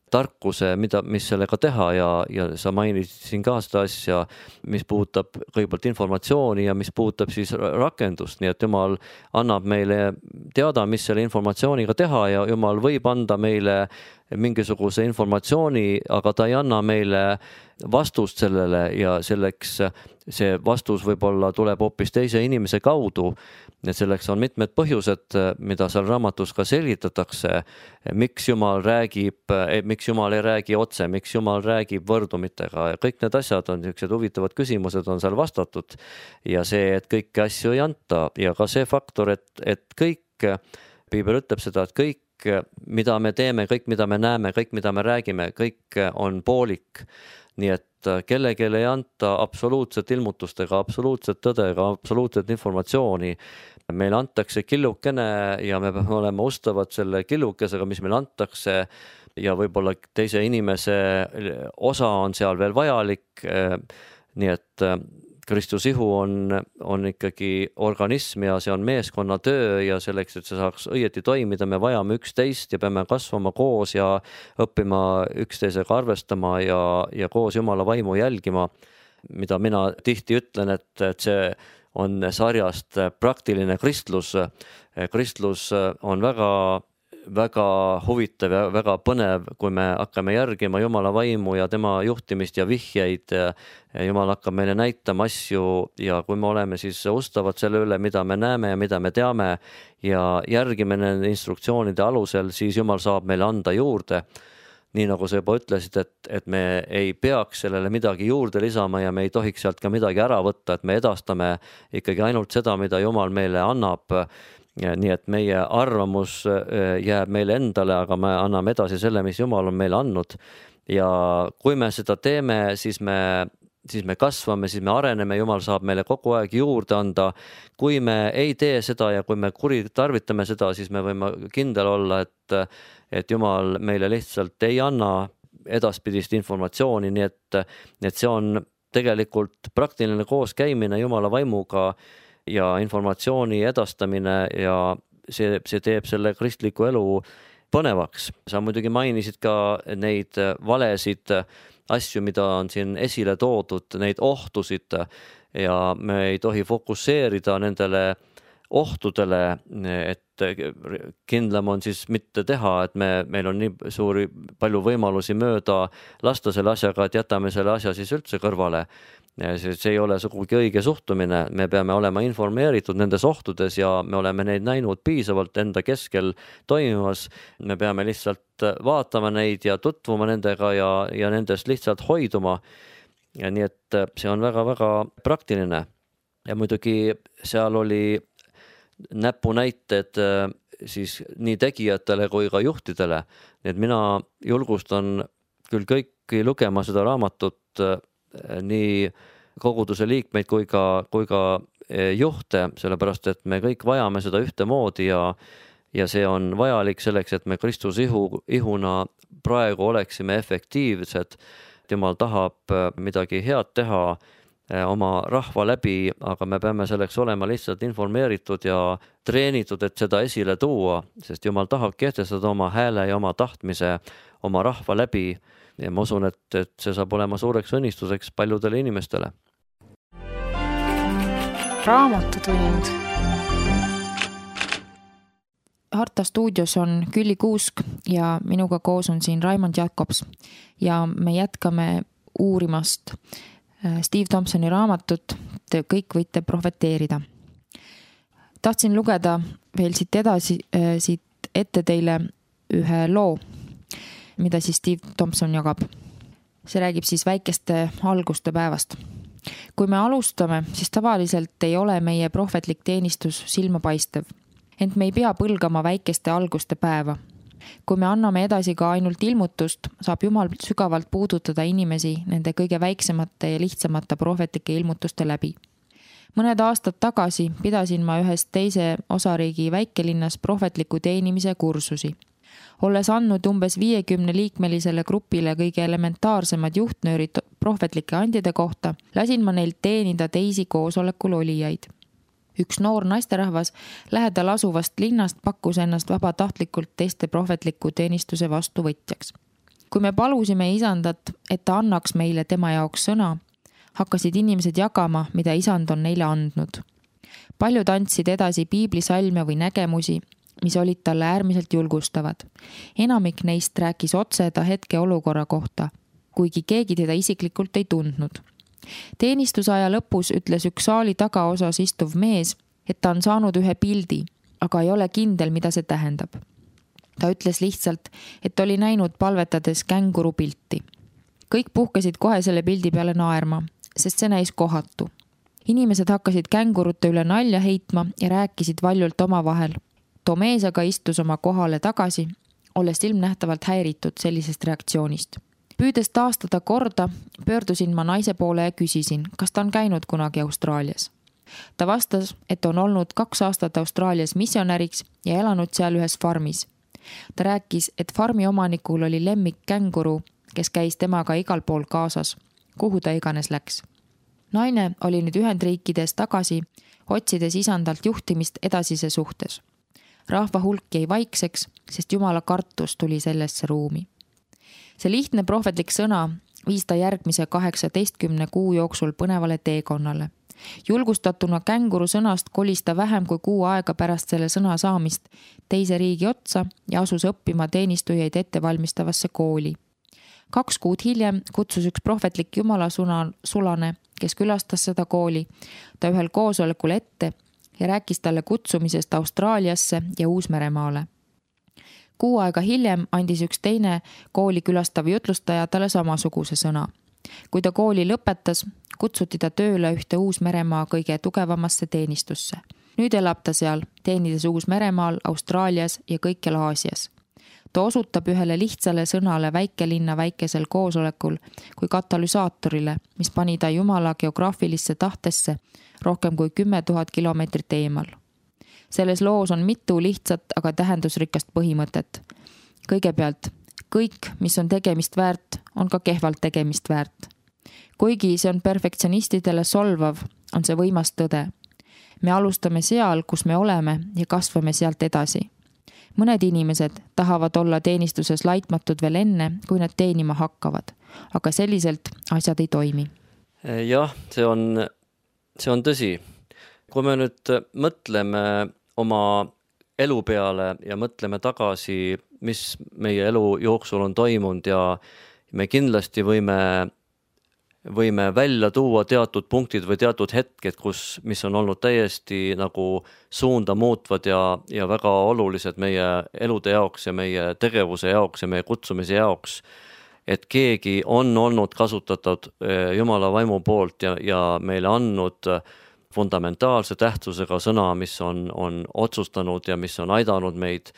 tarkuse, mida, mis sellega teha ja, ja sa mainisid siin ka seda asja, mis puudutab kõigepealt informatsiooni ja mis puudutab siis rakendust, nii et Jumal annab meile teada, mis selle informatsiooniga teha ja Jumal võib anda meile mingisuguse informatsiooni, aga ta ei anna meile vastust sellele ja selleks see vastus võib-olla tuleb hoopis teise inimese kaudu. Et selleks on mitmed põhjused, mida seal raamatus ka selgitatakse, miks Jumal räägib, miks Jumal ei räägi otse, miks Jumal räägib võrdumitega ja kõik need asjad on niisugused huvitavad küsimused on seal vastatud ja see, et kõiki asju ei anta ja ka see faktor, et, et kõik, Piibel ütleb seda, et kõik, mida me teeme, kõik, mida me näeme, kõik, mida me räägime, kõik on poolik. Nii et kellegi ei anta absoluutset ilmutustega, absoluutset tõdega, absoluutset informatsiooni. Meile antakse killukene ja me peame olema ustavad selle killukesega, mis meile antakse ja võib-olla teise inimese osa on seal veel vajalik. Nii et Kristus ihu on, on ikkagi organism ja see on meeskonna töö ja selleks, et see saaks õieti toimida, me vajame üksteist ja peame kasvama koos ja õppima üksteisega arvestama ja, ja koos Jumala vaimu jälgima, mida mina tihti ütlen, et, et see on sarjast praktiline kristlus. Kristlus on väga väga huvitav ja väga põnev, kui me hakkame järgima Jumala vaimu ja tema juhtimist ja vihjeid. Jumal hakkab meile näitama asju ja kui me oleme siis ustavad selle üle, mida me näeme ja mida me teame ja järgime nende instruktsioonide alusel, siis Jumal saab meile anda juurde. Nii nagu sa juba ütlesid, et, et me ei peaks sellele midagi juurde lisama ja me ei tohiks sealt ka midagi ära võtta, et me edastame ikkagi ainult seda, mida Jumal meile annab. Ja nii et meie arvamus jääb meile endale, aga me anname edasi selle, mis Jumal on meile andnud. Ja kui me seda teeme, siis me siis me kasvame, siis me areneme, Jumal saab meile kogu aeg juurde anda. Kui me ei tee seda ja kui me kuritarvitame seda, siis me võime kindel olla, et, et Jumal meile lihtsalt ei anna edaspidist informatsiooni, nii et, et see on tegelikult praktiline kooskäimine Jumala vaimuga ja informatsiooni edastamine ja see, see teeb selle kristliku elu põnevaks. Sa muidugi mainisid ka neid valesid asju, mida on siin esile toodud, neid ohtusid ja me ei tohi fokusseerida nendele ohtudele, et kindlam on siis mitte teha, et me, meil on nii suuri palju võimalusi mööda lasta selle asjaga, et jätame selle asja siis üldse kõrvale. See, see ei ole sugugi õige suhtumine, me peame olema informeeritud nendes ohtudes ja me oleme neid näinud piisavalt enda keskel toimimas. Me peame lihtsalt vaatama neid ja tutvuma nendega ja, ja nendest lihtsalt hoiduma. Ja nii et see on väga-väga praktiline ja muidugi seal oli näpunäited siis nii tegijatele kui ka juhtidele. Nii et mina julgustan küll kõiki lugema seda raamatut, nii koguduse liikmeid kui ka, kui ka juhte, sellepärast et me kõik vajame seda ühtemoodi ja, ja see on vajalik selleks, et me Kristuse ihu, ihuna praegu oleksime efektiivsed. Jumal tahab midagi head teha oma rahva läbi, aga me peame selleks olema lihtsalt informeeritud ja treenitud, et seda esile tuua, sest Jumal tahab kehtestada oma hääle ja oma tahtmise oma rahva läbi ja ma usun, et, et see saab olema suureks õnnistuseks paljudele inimestele. Raamatutund. Harta stuudios on Külli Kuusk ja minuga koos on siin Raimond Jakobs ja me jätkame uurimast Steve Thompsoni raamatut Te kõik võite profeteerida. Tahtsin lugeda veel siit edasi, siit ette teile ühe loo, mida siis Steve Thompson jagab. See räägib siis väikeste alguste päevast. Kui me alustame, siis tavaliselt ei ole meie prohvetlik teenistus silmapaistev, ent me ei pea põlgama väikeste alguste päeva. Kui me anname edasi ka ainult ilmutust, saab Jumal sügavalt puudutada inimesi nende kõige väiksemate ja lihtsamate prohvetlike ilmutuste läbi. Mõned aastad tagasi pidasin ma ühes teise osariigi väikelinnas prohvetliku teenimise kursusi. Olles andnud umbes viiekümne liikmelisele grupile kõige elementaarsemad juhtnöörid prohvetlike andide kohta, lasin ma neilt teenida teisi koosolekul olijaid. Üks noor naisterahvas lähedal asuvast linnast pakkus ennast vabatahtlikult teiste prohvetliku teenistuse vastuvõtjaks. Kui me palusime isandat, et ta annaks meile tema jaoks sõna, hakkasid inimesed jagama, mida isand on neile andnud. Paljud andsid edasi piiblisalme või nägemusi, mis olid talle äärmiselt julgustavad. Enamik neist rääkis otse ta hetke olukorra kohta, kuigi keegi teda isiklikult ei tundnud. Teenistusaja lõpus ütles üks saali tagaosas istuv mees, et ta on saanud ühe pildi, aga ei ole kindel, mida see tähendab. Ta ütles lihtsalt, et oli näinud palvetades känguru pilti. Kõik puhkasid kohe selle pildi peale naerma, sest see näis kohatu. Inimesed hakkasid kängurute üle nalja heitma ja rääkisid valjult omavahel. Too mees aga istus oma kohale tagasi, olles ilmnähtavalt häiritud sellisest reaktsioonist. Püüdes taastada korda, pöördusin ma naise poole ja küsisin, kas ta on käinud kunagi Austraalias. Ta vastas, et on olnud kaks aastat Austraalias missionäriks ja elanud seal ühes farmis. Ta rääkis, et farmi omanikul oli lemmik känguru, kes käis temaga igal pool kaasas, kuhu ta iganes läks. Naine oli nüüd Ühendriikides tagasi, otsides isandalt juhtimist edasise suhtes. Rahva hulk jäi vaikseks, sest Jumala kartus tuli sellesse ruumi. See lihtne prohvetlik sõna viis ta järgmise kaheksateistkümne kuu jooksul põnevale teekonnale. Julgustatuna känguru sõnast kolis ta vähem kui kuu aega pärast selle sõna saamist teise riigi otsa ja asus õppima teenistujaid ettevalmistavasse kooli. Kaks kuud hiljem kutsus üks prohvetlik Jumala sulane, kes külastas seda kooli, ta ühel koosolekul ette ja rääkis talle kutsumisest Austraaliasse ja Uus-Meremaale. Kuu aega hiljem andis üks teine kooli külastav jutlustaja talle samasuguse sõna. Kui ta kooli lõpetas, kutsuti ta tööle ühte Uus-Meremaa kõige tugevamasse teenistusse. Nüüd elab ta seal, teenides Uus-Meremaal, Austraalias ja kõikjal Aasias. Ta osutab ühele lihtsale sõnale väikelinna väikesel koosolekul kui katalüsaatorile, mis pani ta Jumala geograafilisse tahtesse rohkem kui kümme tuhat kilomeetrit eemal. Selles loos on mitu lihtsat, aga tähendusrikast põhimõtet. Kõigepealt, kõik, mis on tegemist väärt, on ka kehvalt tegemist väärt. Kuigi see on perfektsionistidele solvav, on see võimas tõde. Me alustame seal, kus me oleme ja kasvame sealt edasi. Mõned inimesed tahavad olla teenistuses laitmatud veel enne, kui nad teenima hakkavad, aga selliselt asjad ei toimi. Jah, see on, see on tõsi. Kui me nüüd mõtleme oma elu peale ja mõtleme tagasi, mis meie elu jooksul on toimunud ja me kindlasti võime võime välja tuua teatud punktid või teatud hetked, kus, mis on olnud täiesti nagu suunda muutvad ja, ja väga olulised meie elude jaoks ja meie tegevuse jaoks ja meie kutsumise jaoks, et keegi on olnud kasutatud Jumala vaimu poolt ja, ja meile andnud fundamentaalse tähtsusega sõna, mis on, on otsustanud ja mis on aidanud meid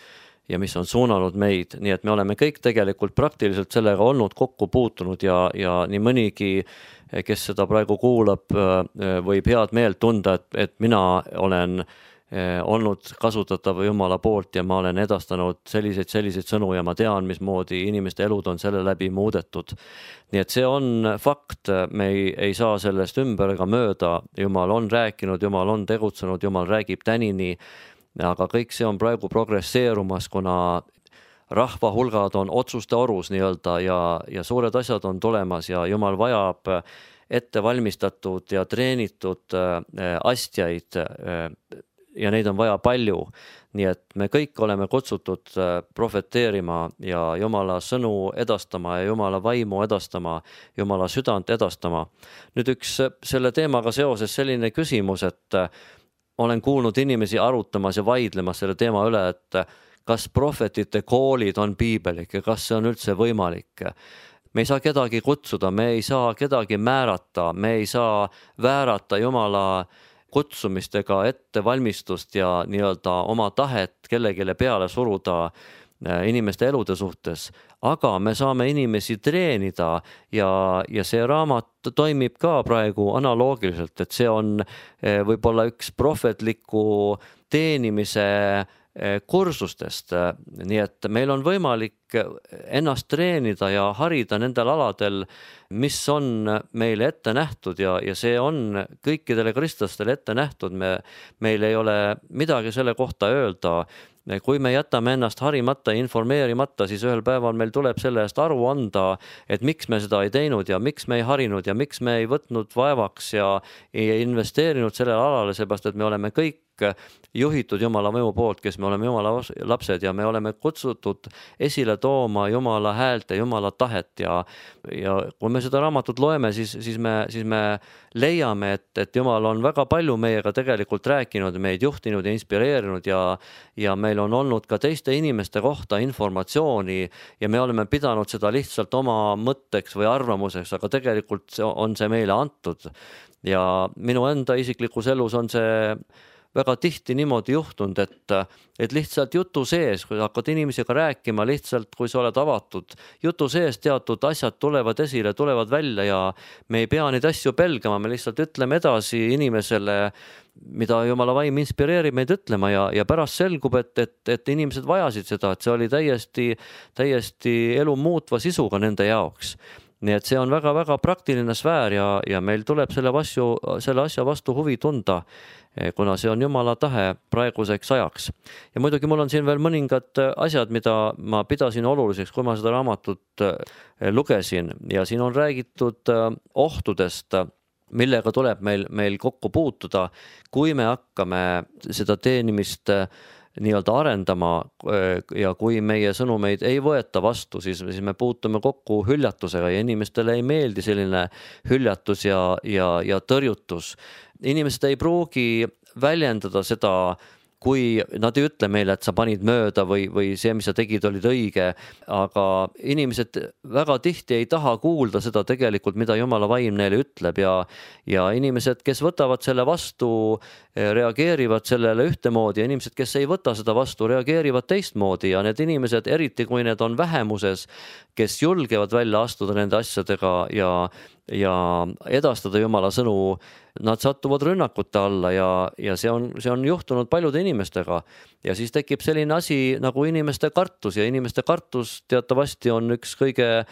ja mis on suunanud meid, nii et me oleme kõik tegelikult praktiliselt sellega olnud kokku puutunud ja, ja nii mõnigi, kes seda praegu kuulab, võib head meelt tunda, et, et mina olen olnud kasutatav Jumala poolt ja ma olen edastanud selliseid, selliseid sõnu ja ma tean, mismoodi inimeste elud on selle läbi muudetud. Nii et see on fakt, me ei, ei saa sellest ümber ega mööda, Jumal on rääkinud, Jumal on tegutsenud, Jumal räägib tänini, aga kõik see on praegu progresseerumas, kuna rahva hulgad on otsuste orus nii-öelda ja, ja suured asjad on tulemas ja Jumal vajab ette valmistatud ja treenitud astjaid ja neid on vaja palju. Nii et me kõik oleme kutsutud profeteerima ja Jumala sõnu edastama ja Jumala vaimu edastama, Jumala südant edastama. Nüüd üks selle teemaga seoses selline küsimus, et olen kuulnud inimesi arutamas ja vaidlemas selle teema üle, et kas prohvetite koolid on piibelik ja kas see on üldse võimalik. Me ei saa kedagi kutsuda, me ei saa kedagi määrata, me ei saa väärata Jumala kutsumistega ettevalmistust ja nii-öelda oma tahet kellegile peale suruda inimeste elude suhtes, aga me saame inimesi treenida ja, ja see raamat toimib ka praegu analoogiliselt, et see on võib-olla üks prohvetliku teenimise kursustest, nii et meil on võimalik ennast treenida ja harida nendel aladel, mis on meile ette nähtud ja, ja see on kõikidele kristlastele ette nähtud, me, meil ei ole midagi selle kohta öelda. Kui me jätame ennast harimata ja informeerimata, siis ühel päeval meil tuleb selle eest aru anda, et miks me seda ei teinud ja miks me ei harinud ja miks me ei võtnud vaevaks ja ei investeerinud sellele alale, seepärast, et me oleme kõik juhitud Jumala mõju poolt, kes me oleme Jumala lapsed ja me oleme kutsutud esile tooma Jumala häält ja Jumala tahet ja, ja kui me seda raamatut loeme, siis, siis, me, siis me leiame, et, et Jumal on väga palju meiega tegelikult rääkinud, meid juhtinud ja inspireerinud ja, ja meil on olnud ka teiste inimeste kohta informatsiooni ja me oleme pidanud seda lihtsalt oma mõtteks või arvamuseks, aga tegelikult on see meile antud ja minu enda isiklikus elus on see väga tihti niimoodi juhtunud, et, et lihtsalt jutu sees, kui hakkad inimesega rääkima, lihtsalt kui sa oled avatud, jutu sees teatud asjad tulevad esile, tulevad välja ja me ei pea neid asju pelgama, me lihtsalt ütleme edasi inimesele, mida Jumala vaim inspireerib meid ütlema ja, ja pärast selgub, et, et, et inimesed vajasid seda, et see oli täiesti, täiesti elu muutva sisuga nende jaoks. Nii et see on väga-väga praktiline sfäär ja, ja meil tuleb selle, vasju, selle asja vastu huvi tunda, kuna see on Jumala tahe praeguseks ajaks. Ja muidugi mul on siin veel mõningad asjad, mida ma pidasin oluliseks, kui ma seda raamatut lugesin ja siin on räägitud ohtudest, millega tuleb meil, meil kokku puutuda, kui me hakkame seda teenimist nii-öelda arendama ja kui meie sõnumeid ei võeta vastu, siis, siis me puutume kokku hüljatusega ja inimestele ei meeldi selline hüljatus ja, ja, ja tõrjutus. Inimesed ei pruugi väljendada seda kui nad ei ütle meile, et sa panid mööda või, või see, mis sa tegid, olid õige, aga inimesed väga tihti ei taha kuulda seda tegelikult, mida Jumala vaim neile ütleb ja, ja inimesed, kes võtavad selle vastu, reageerivad sellele ühtemoodi ja inimesed, kes ei võta seda vastu, reageerivad teistmoodi ja need inimesed, eriti kui need on vähemuses, kes julgevad välja astuda nende asjadega ja ja edastada Jumala sõnu, nad satuvad rünnakute alla ja, ja see on, see on juhtunud paljude inimestega ja siis tekib selline asi nagu inimeste kartus ja inimeste kartus teatavasti on üks kõige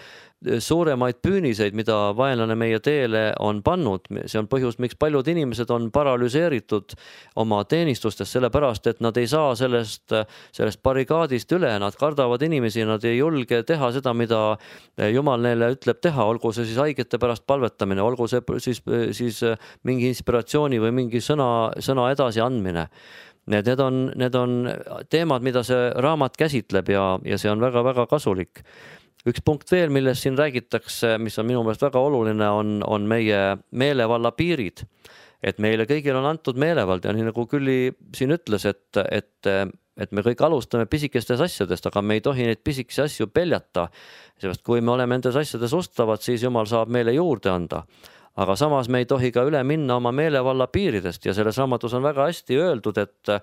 suuremaid püüniseid, mida vaenlane meie teele on pannud. See on põhjus, miks paljud inimesed on paralüseeritud oma teenistustes, sellepärast, et nad ei saa sellest, sellest barigaadist üle, nad kardavad inimesi, nad ei julge teha seda, mida Jumal neile ütleb teha, olgu see siis haigete pärast palvetamine, olgu see siis, siis mingi inspiratsiooni või mingi sõna, sõna edasi andmine. Need, need, on, need on teemad, mida see raamat käsitleb ja, ja see on väga-väga kasulik. Üks punkt veel, millest siin räägitakse, mis on minu meelest väga oluline, on, on meie meelevalla piirid. Et meile kõigil on antud meelevald ja nii nagu Külli siin ütles, et, et, et me kõik alustame pisikestes asjadest, aga me ei tohi neid pisikesi asju peljata. Sest kui me oleme nendes asjades ustavad, siis Jumal saab meile juurde anda. Aga samas me ei tohi ka üle minna oma meelevalla piiridest ja selles raamatus on väga hästi öeldud, et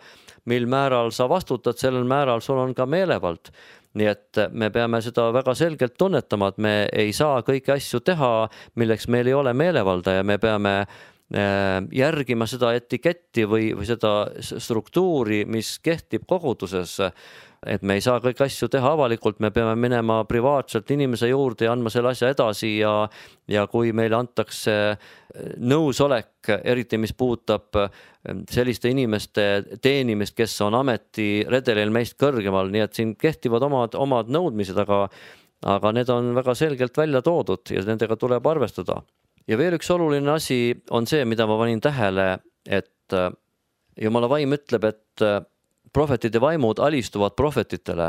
mil määral sa vastutad, sellel määral sul on ka meelevald. Nii et me peame seda väga selgelt tunnetama, et me ei saa kõiki asju teha, milleks meil ei ole meelevalda ja me peame järgima seda etiketti või, või seda struktuuri, mis kehtib koguduses. Et me ei saa kõiki asju teha avalikult, me peame minema privaatselt inimese juurde ja andma selle asja edasi ja, ja kui meile antakse nõusolek, eriti mis puudutab selliste inimeste teenimist, kes on ametiredelil meist kõrgemal, nii et siin kehtivad omad, omad nõudmised, aga, aga need on väga selgelt välja toodud ja nendega tuleb arvestada. Ja veel üks oluline asi on see, mida ma panin tähele, et Jumala vaim ütleb, et prohvetide vaimud alistuvad prohvetitele.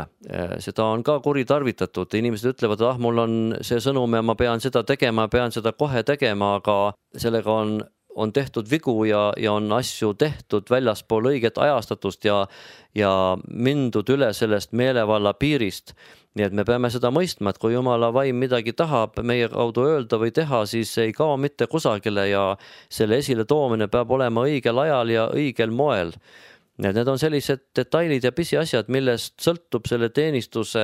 Seda on ka kuritarvitatud. Inimesed ütlevad, et ah, mul on see sõnum ja ma pean seda tegema, pean seda kohe tegema, aga sellega on, on tehtud vigu ja, ja on asju tehtud väljaspool õiget ajastatust ja, ja mindud üle sellest meelevalla piirist. Nii et me peame seda mõistma, et kui Jumala vaim midagi tahab meie kaudu öelda või teha, siis ei kao mitte kusagile ja selle esile toomine peab olema õigel ajal ja õigel moel. Need on sellised detailid ja pisiasjad, millest sõltub selle teenistuse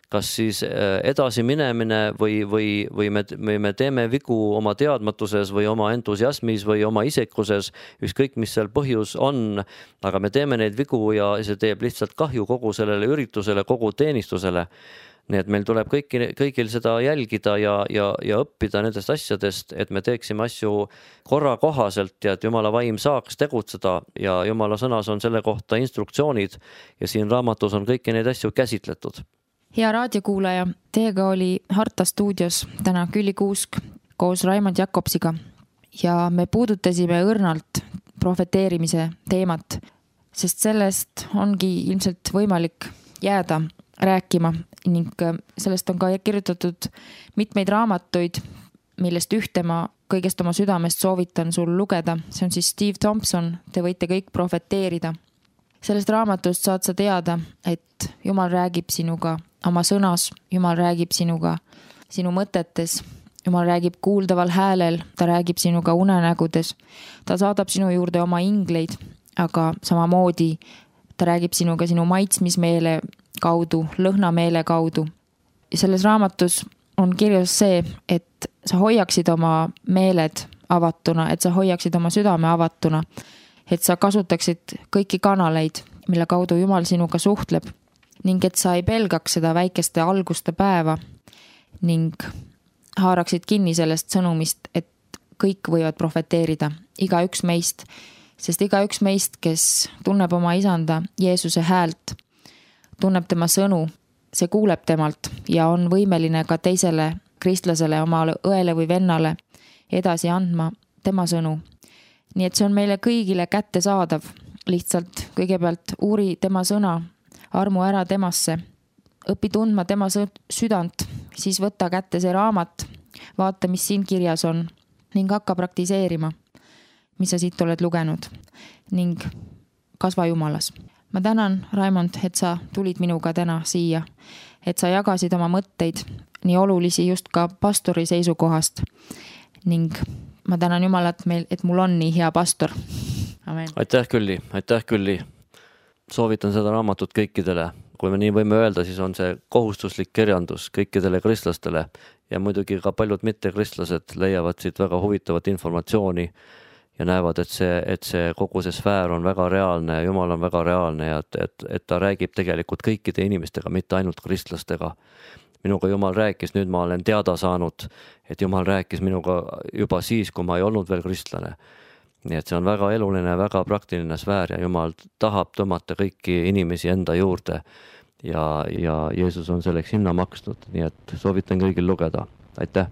kas siis edasi minemine või, või, või, me, või me teeme vigu oma teadmatuses või oma entusiasmis või oma isekuses, ükskõik mis seal põhjus on, aga me teeme neid vigu ja see teeb lihtsalt kahju kogu sellele üritusele, kogu teenistusele. Nii et meil tuleb kõiki, kõigil seda jälgida ja, ja, ja õppida nendest asjadest, et me teeksime asju korra kohaselt ja et Jumala vaim saaks tegutseda ja Jumala sõnas on selle kohta instruktsioonid ja siin raamatus on kõiki neid asju käsitletud. Hea raadiokuulaja, teiega oli Harta stuudios täna Külli Kuusk koos Raimond Jakobsiga ja me puudutasime õrnalt profeteerimise teemat, sest sellest ongi ilmselt võimalik jääda rääkima ning sellest on ka kirjutatud mitmeid raamatuid, millest ühte ma kõigest oma südamest soovitan sul lugeda. See on siis Steve Thompson, Te võite kõik profeteerida. Sellest raamatust saad sa teada, et Jumal räägib sinuga oma sõnas, Jumal räägib sinuga sinu mõtetes, Jumal räägib kuuldaval häälel, ta räägib sinuga unenägudes, ta saadab sinu juurde oma ingleid, aga samamoodi ta räägib sinuga sinu maitsmismeele kaudu, lõhnameele kaudu. Ja selles raamatus on kirjas see, et sa hoiaksid oma meeled avatuna, et sa hoiaksid oma südame avatuna, et sa kasutaksid kõiki kanaleid, mille kaudu Jumal sinuga suhtleb ning et sa ei pelgaks seda väikeste alguste päeva ning haaraksid kinni sellest sõnumist, et kõik võivad profeteerida, iga üks meist, sest iga üks meist, kes tunneb oma isanda Jeesuse häält, tunneb tema sõnu, see kuuleb temalt ja on võimeline ka teisele kristlasele, omale õele või vennale edasi andma tema sõnu. Nii et see on meile kõigile kätte saadav. Lihtsalt kõigepealt uuri tema sõna, armu ära temasse, õpi tundma tema südant, siis võta kätte see raamat, vaata, mis siin kirjas on ning hakka praktiseerima, mis sa siit oled lugenud. Ning kasva Jumalas. Ma tänan, Raimond, et sa tulid minuga täna siia, et sa jagasid oma mõtteid nii olulisi just ka pastori seisukohast ning ma tänan Jumalat, meil, et mul on nii hea pastor. Amen. Aitäh Külli, aitäh Külli. Soovitan seda raamatut kõikidele. Kui me nii võime öelda, siis on see kohustuslik kirjandus kõikidele kristlastele ja muidugi ka paljud mittekristlased leiavad siit väga huvitavat informatsiooni ja näevad, et see, et see kogu see sfäär on väga reaalne ja Jumal on väga reaalne ja et, et, et ta räägib tegelikult kõikide inimestega, mitte ainult kristlastega. Minuga Jumal rääkis, nüüd ma olen teada saanud, et Jumal rääkis minuga juba siis, kui ma ei olnud veel kristlane. Nii et see on väga eluline, väga praktiline sfäär ja Jumal tahab tõmmata kõiki inimesi enda juurde ja, ja Jeesus on selleks hinna maksnud, nii et soovitan kõigil lugeda. Aitäh!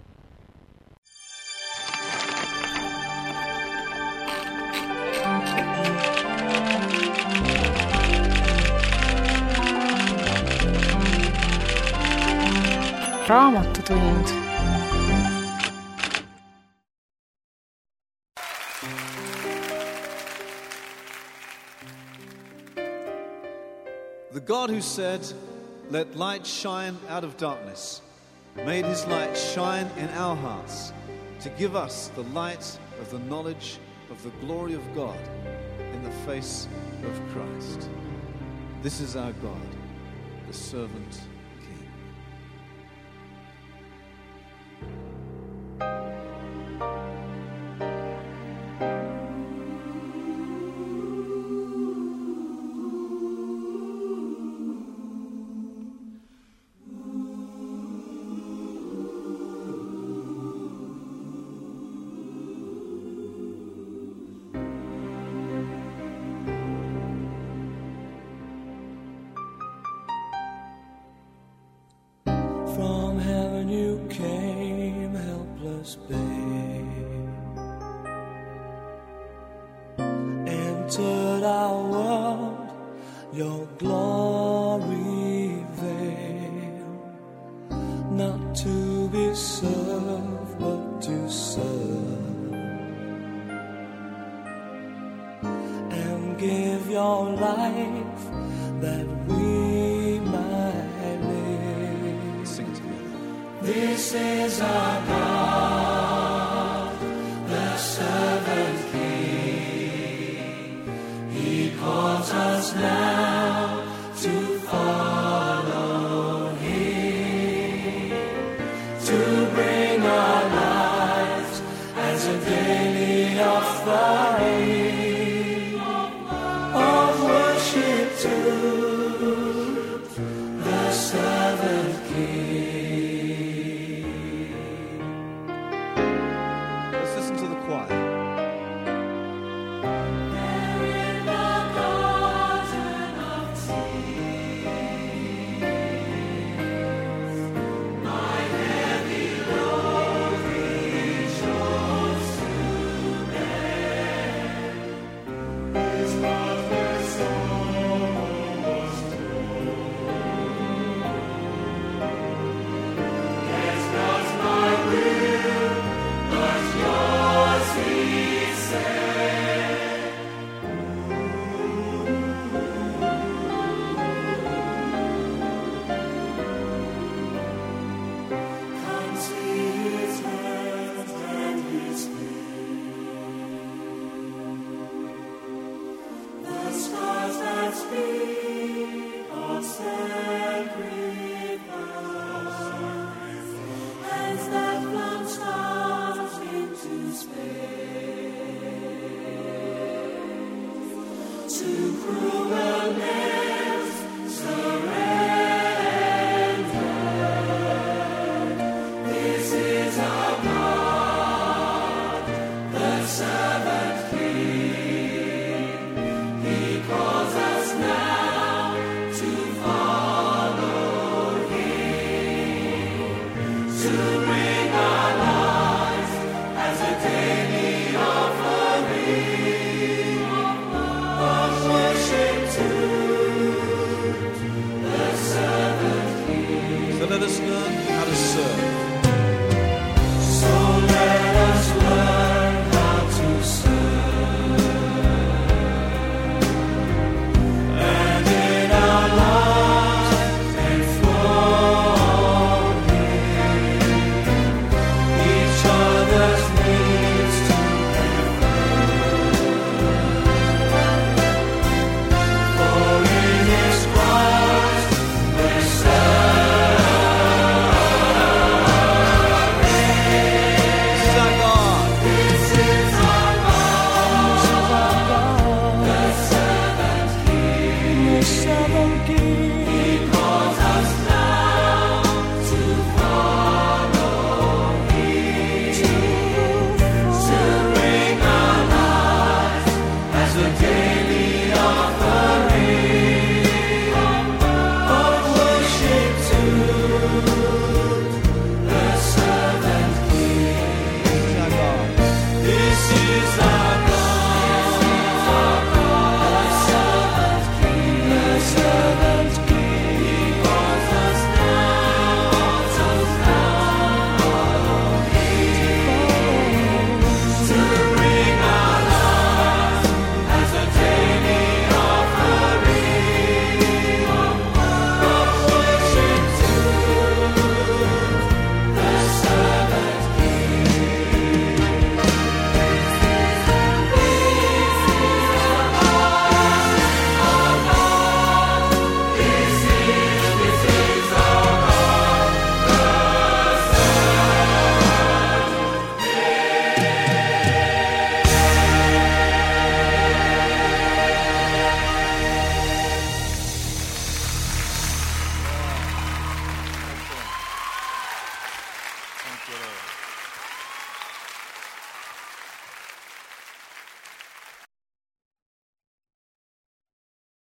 Raamatutund. The God who said, "Let light shine out of darkness," made his light shine in our hearts to give us the light of the knowledge of the glory of God in the face of Christ. This is our God, the servant King. From heaven you came, helpless babe, entered our world, your glory veiled, not to be served, but to serve, and give your life that we might live. Sing together. This is our God, the servant King. He calls us now to follow Him, to bring our lives as a daily offering of worship to the servant King. Let's listen to the choir. There in the garden Seven King.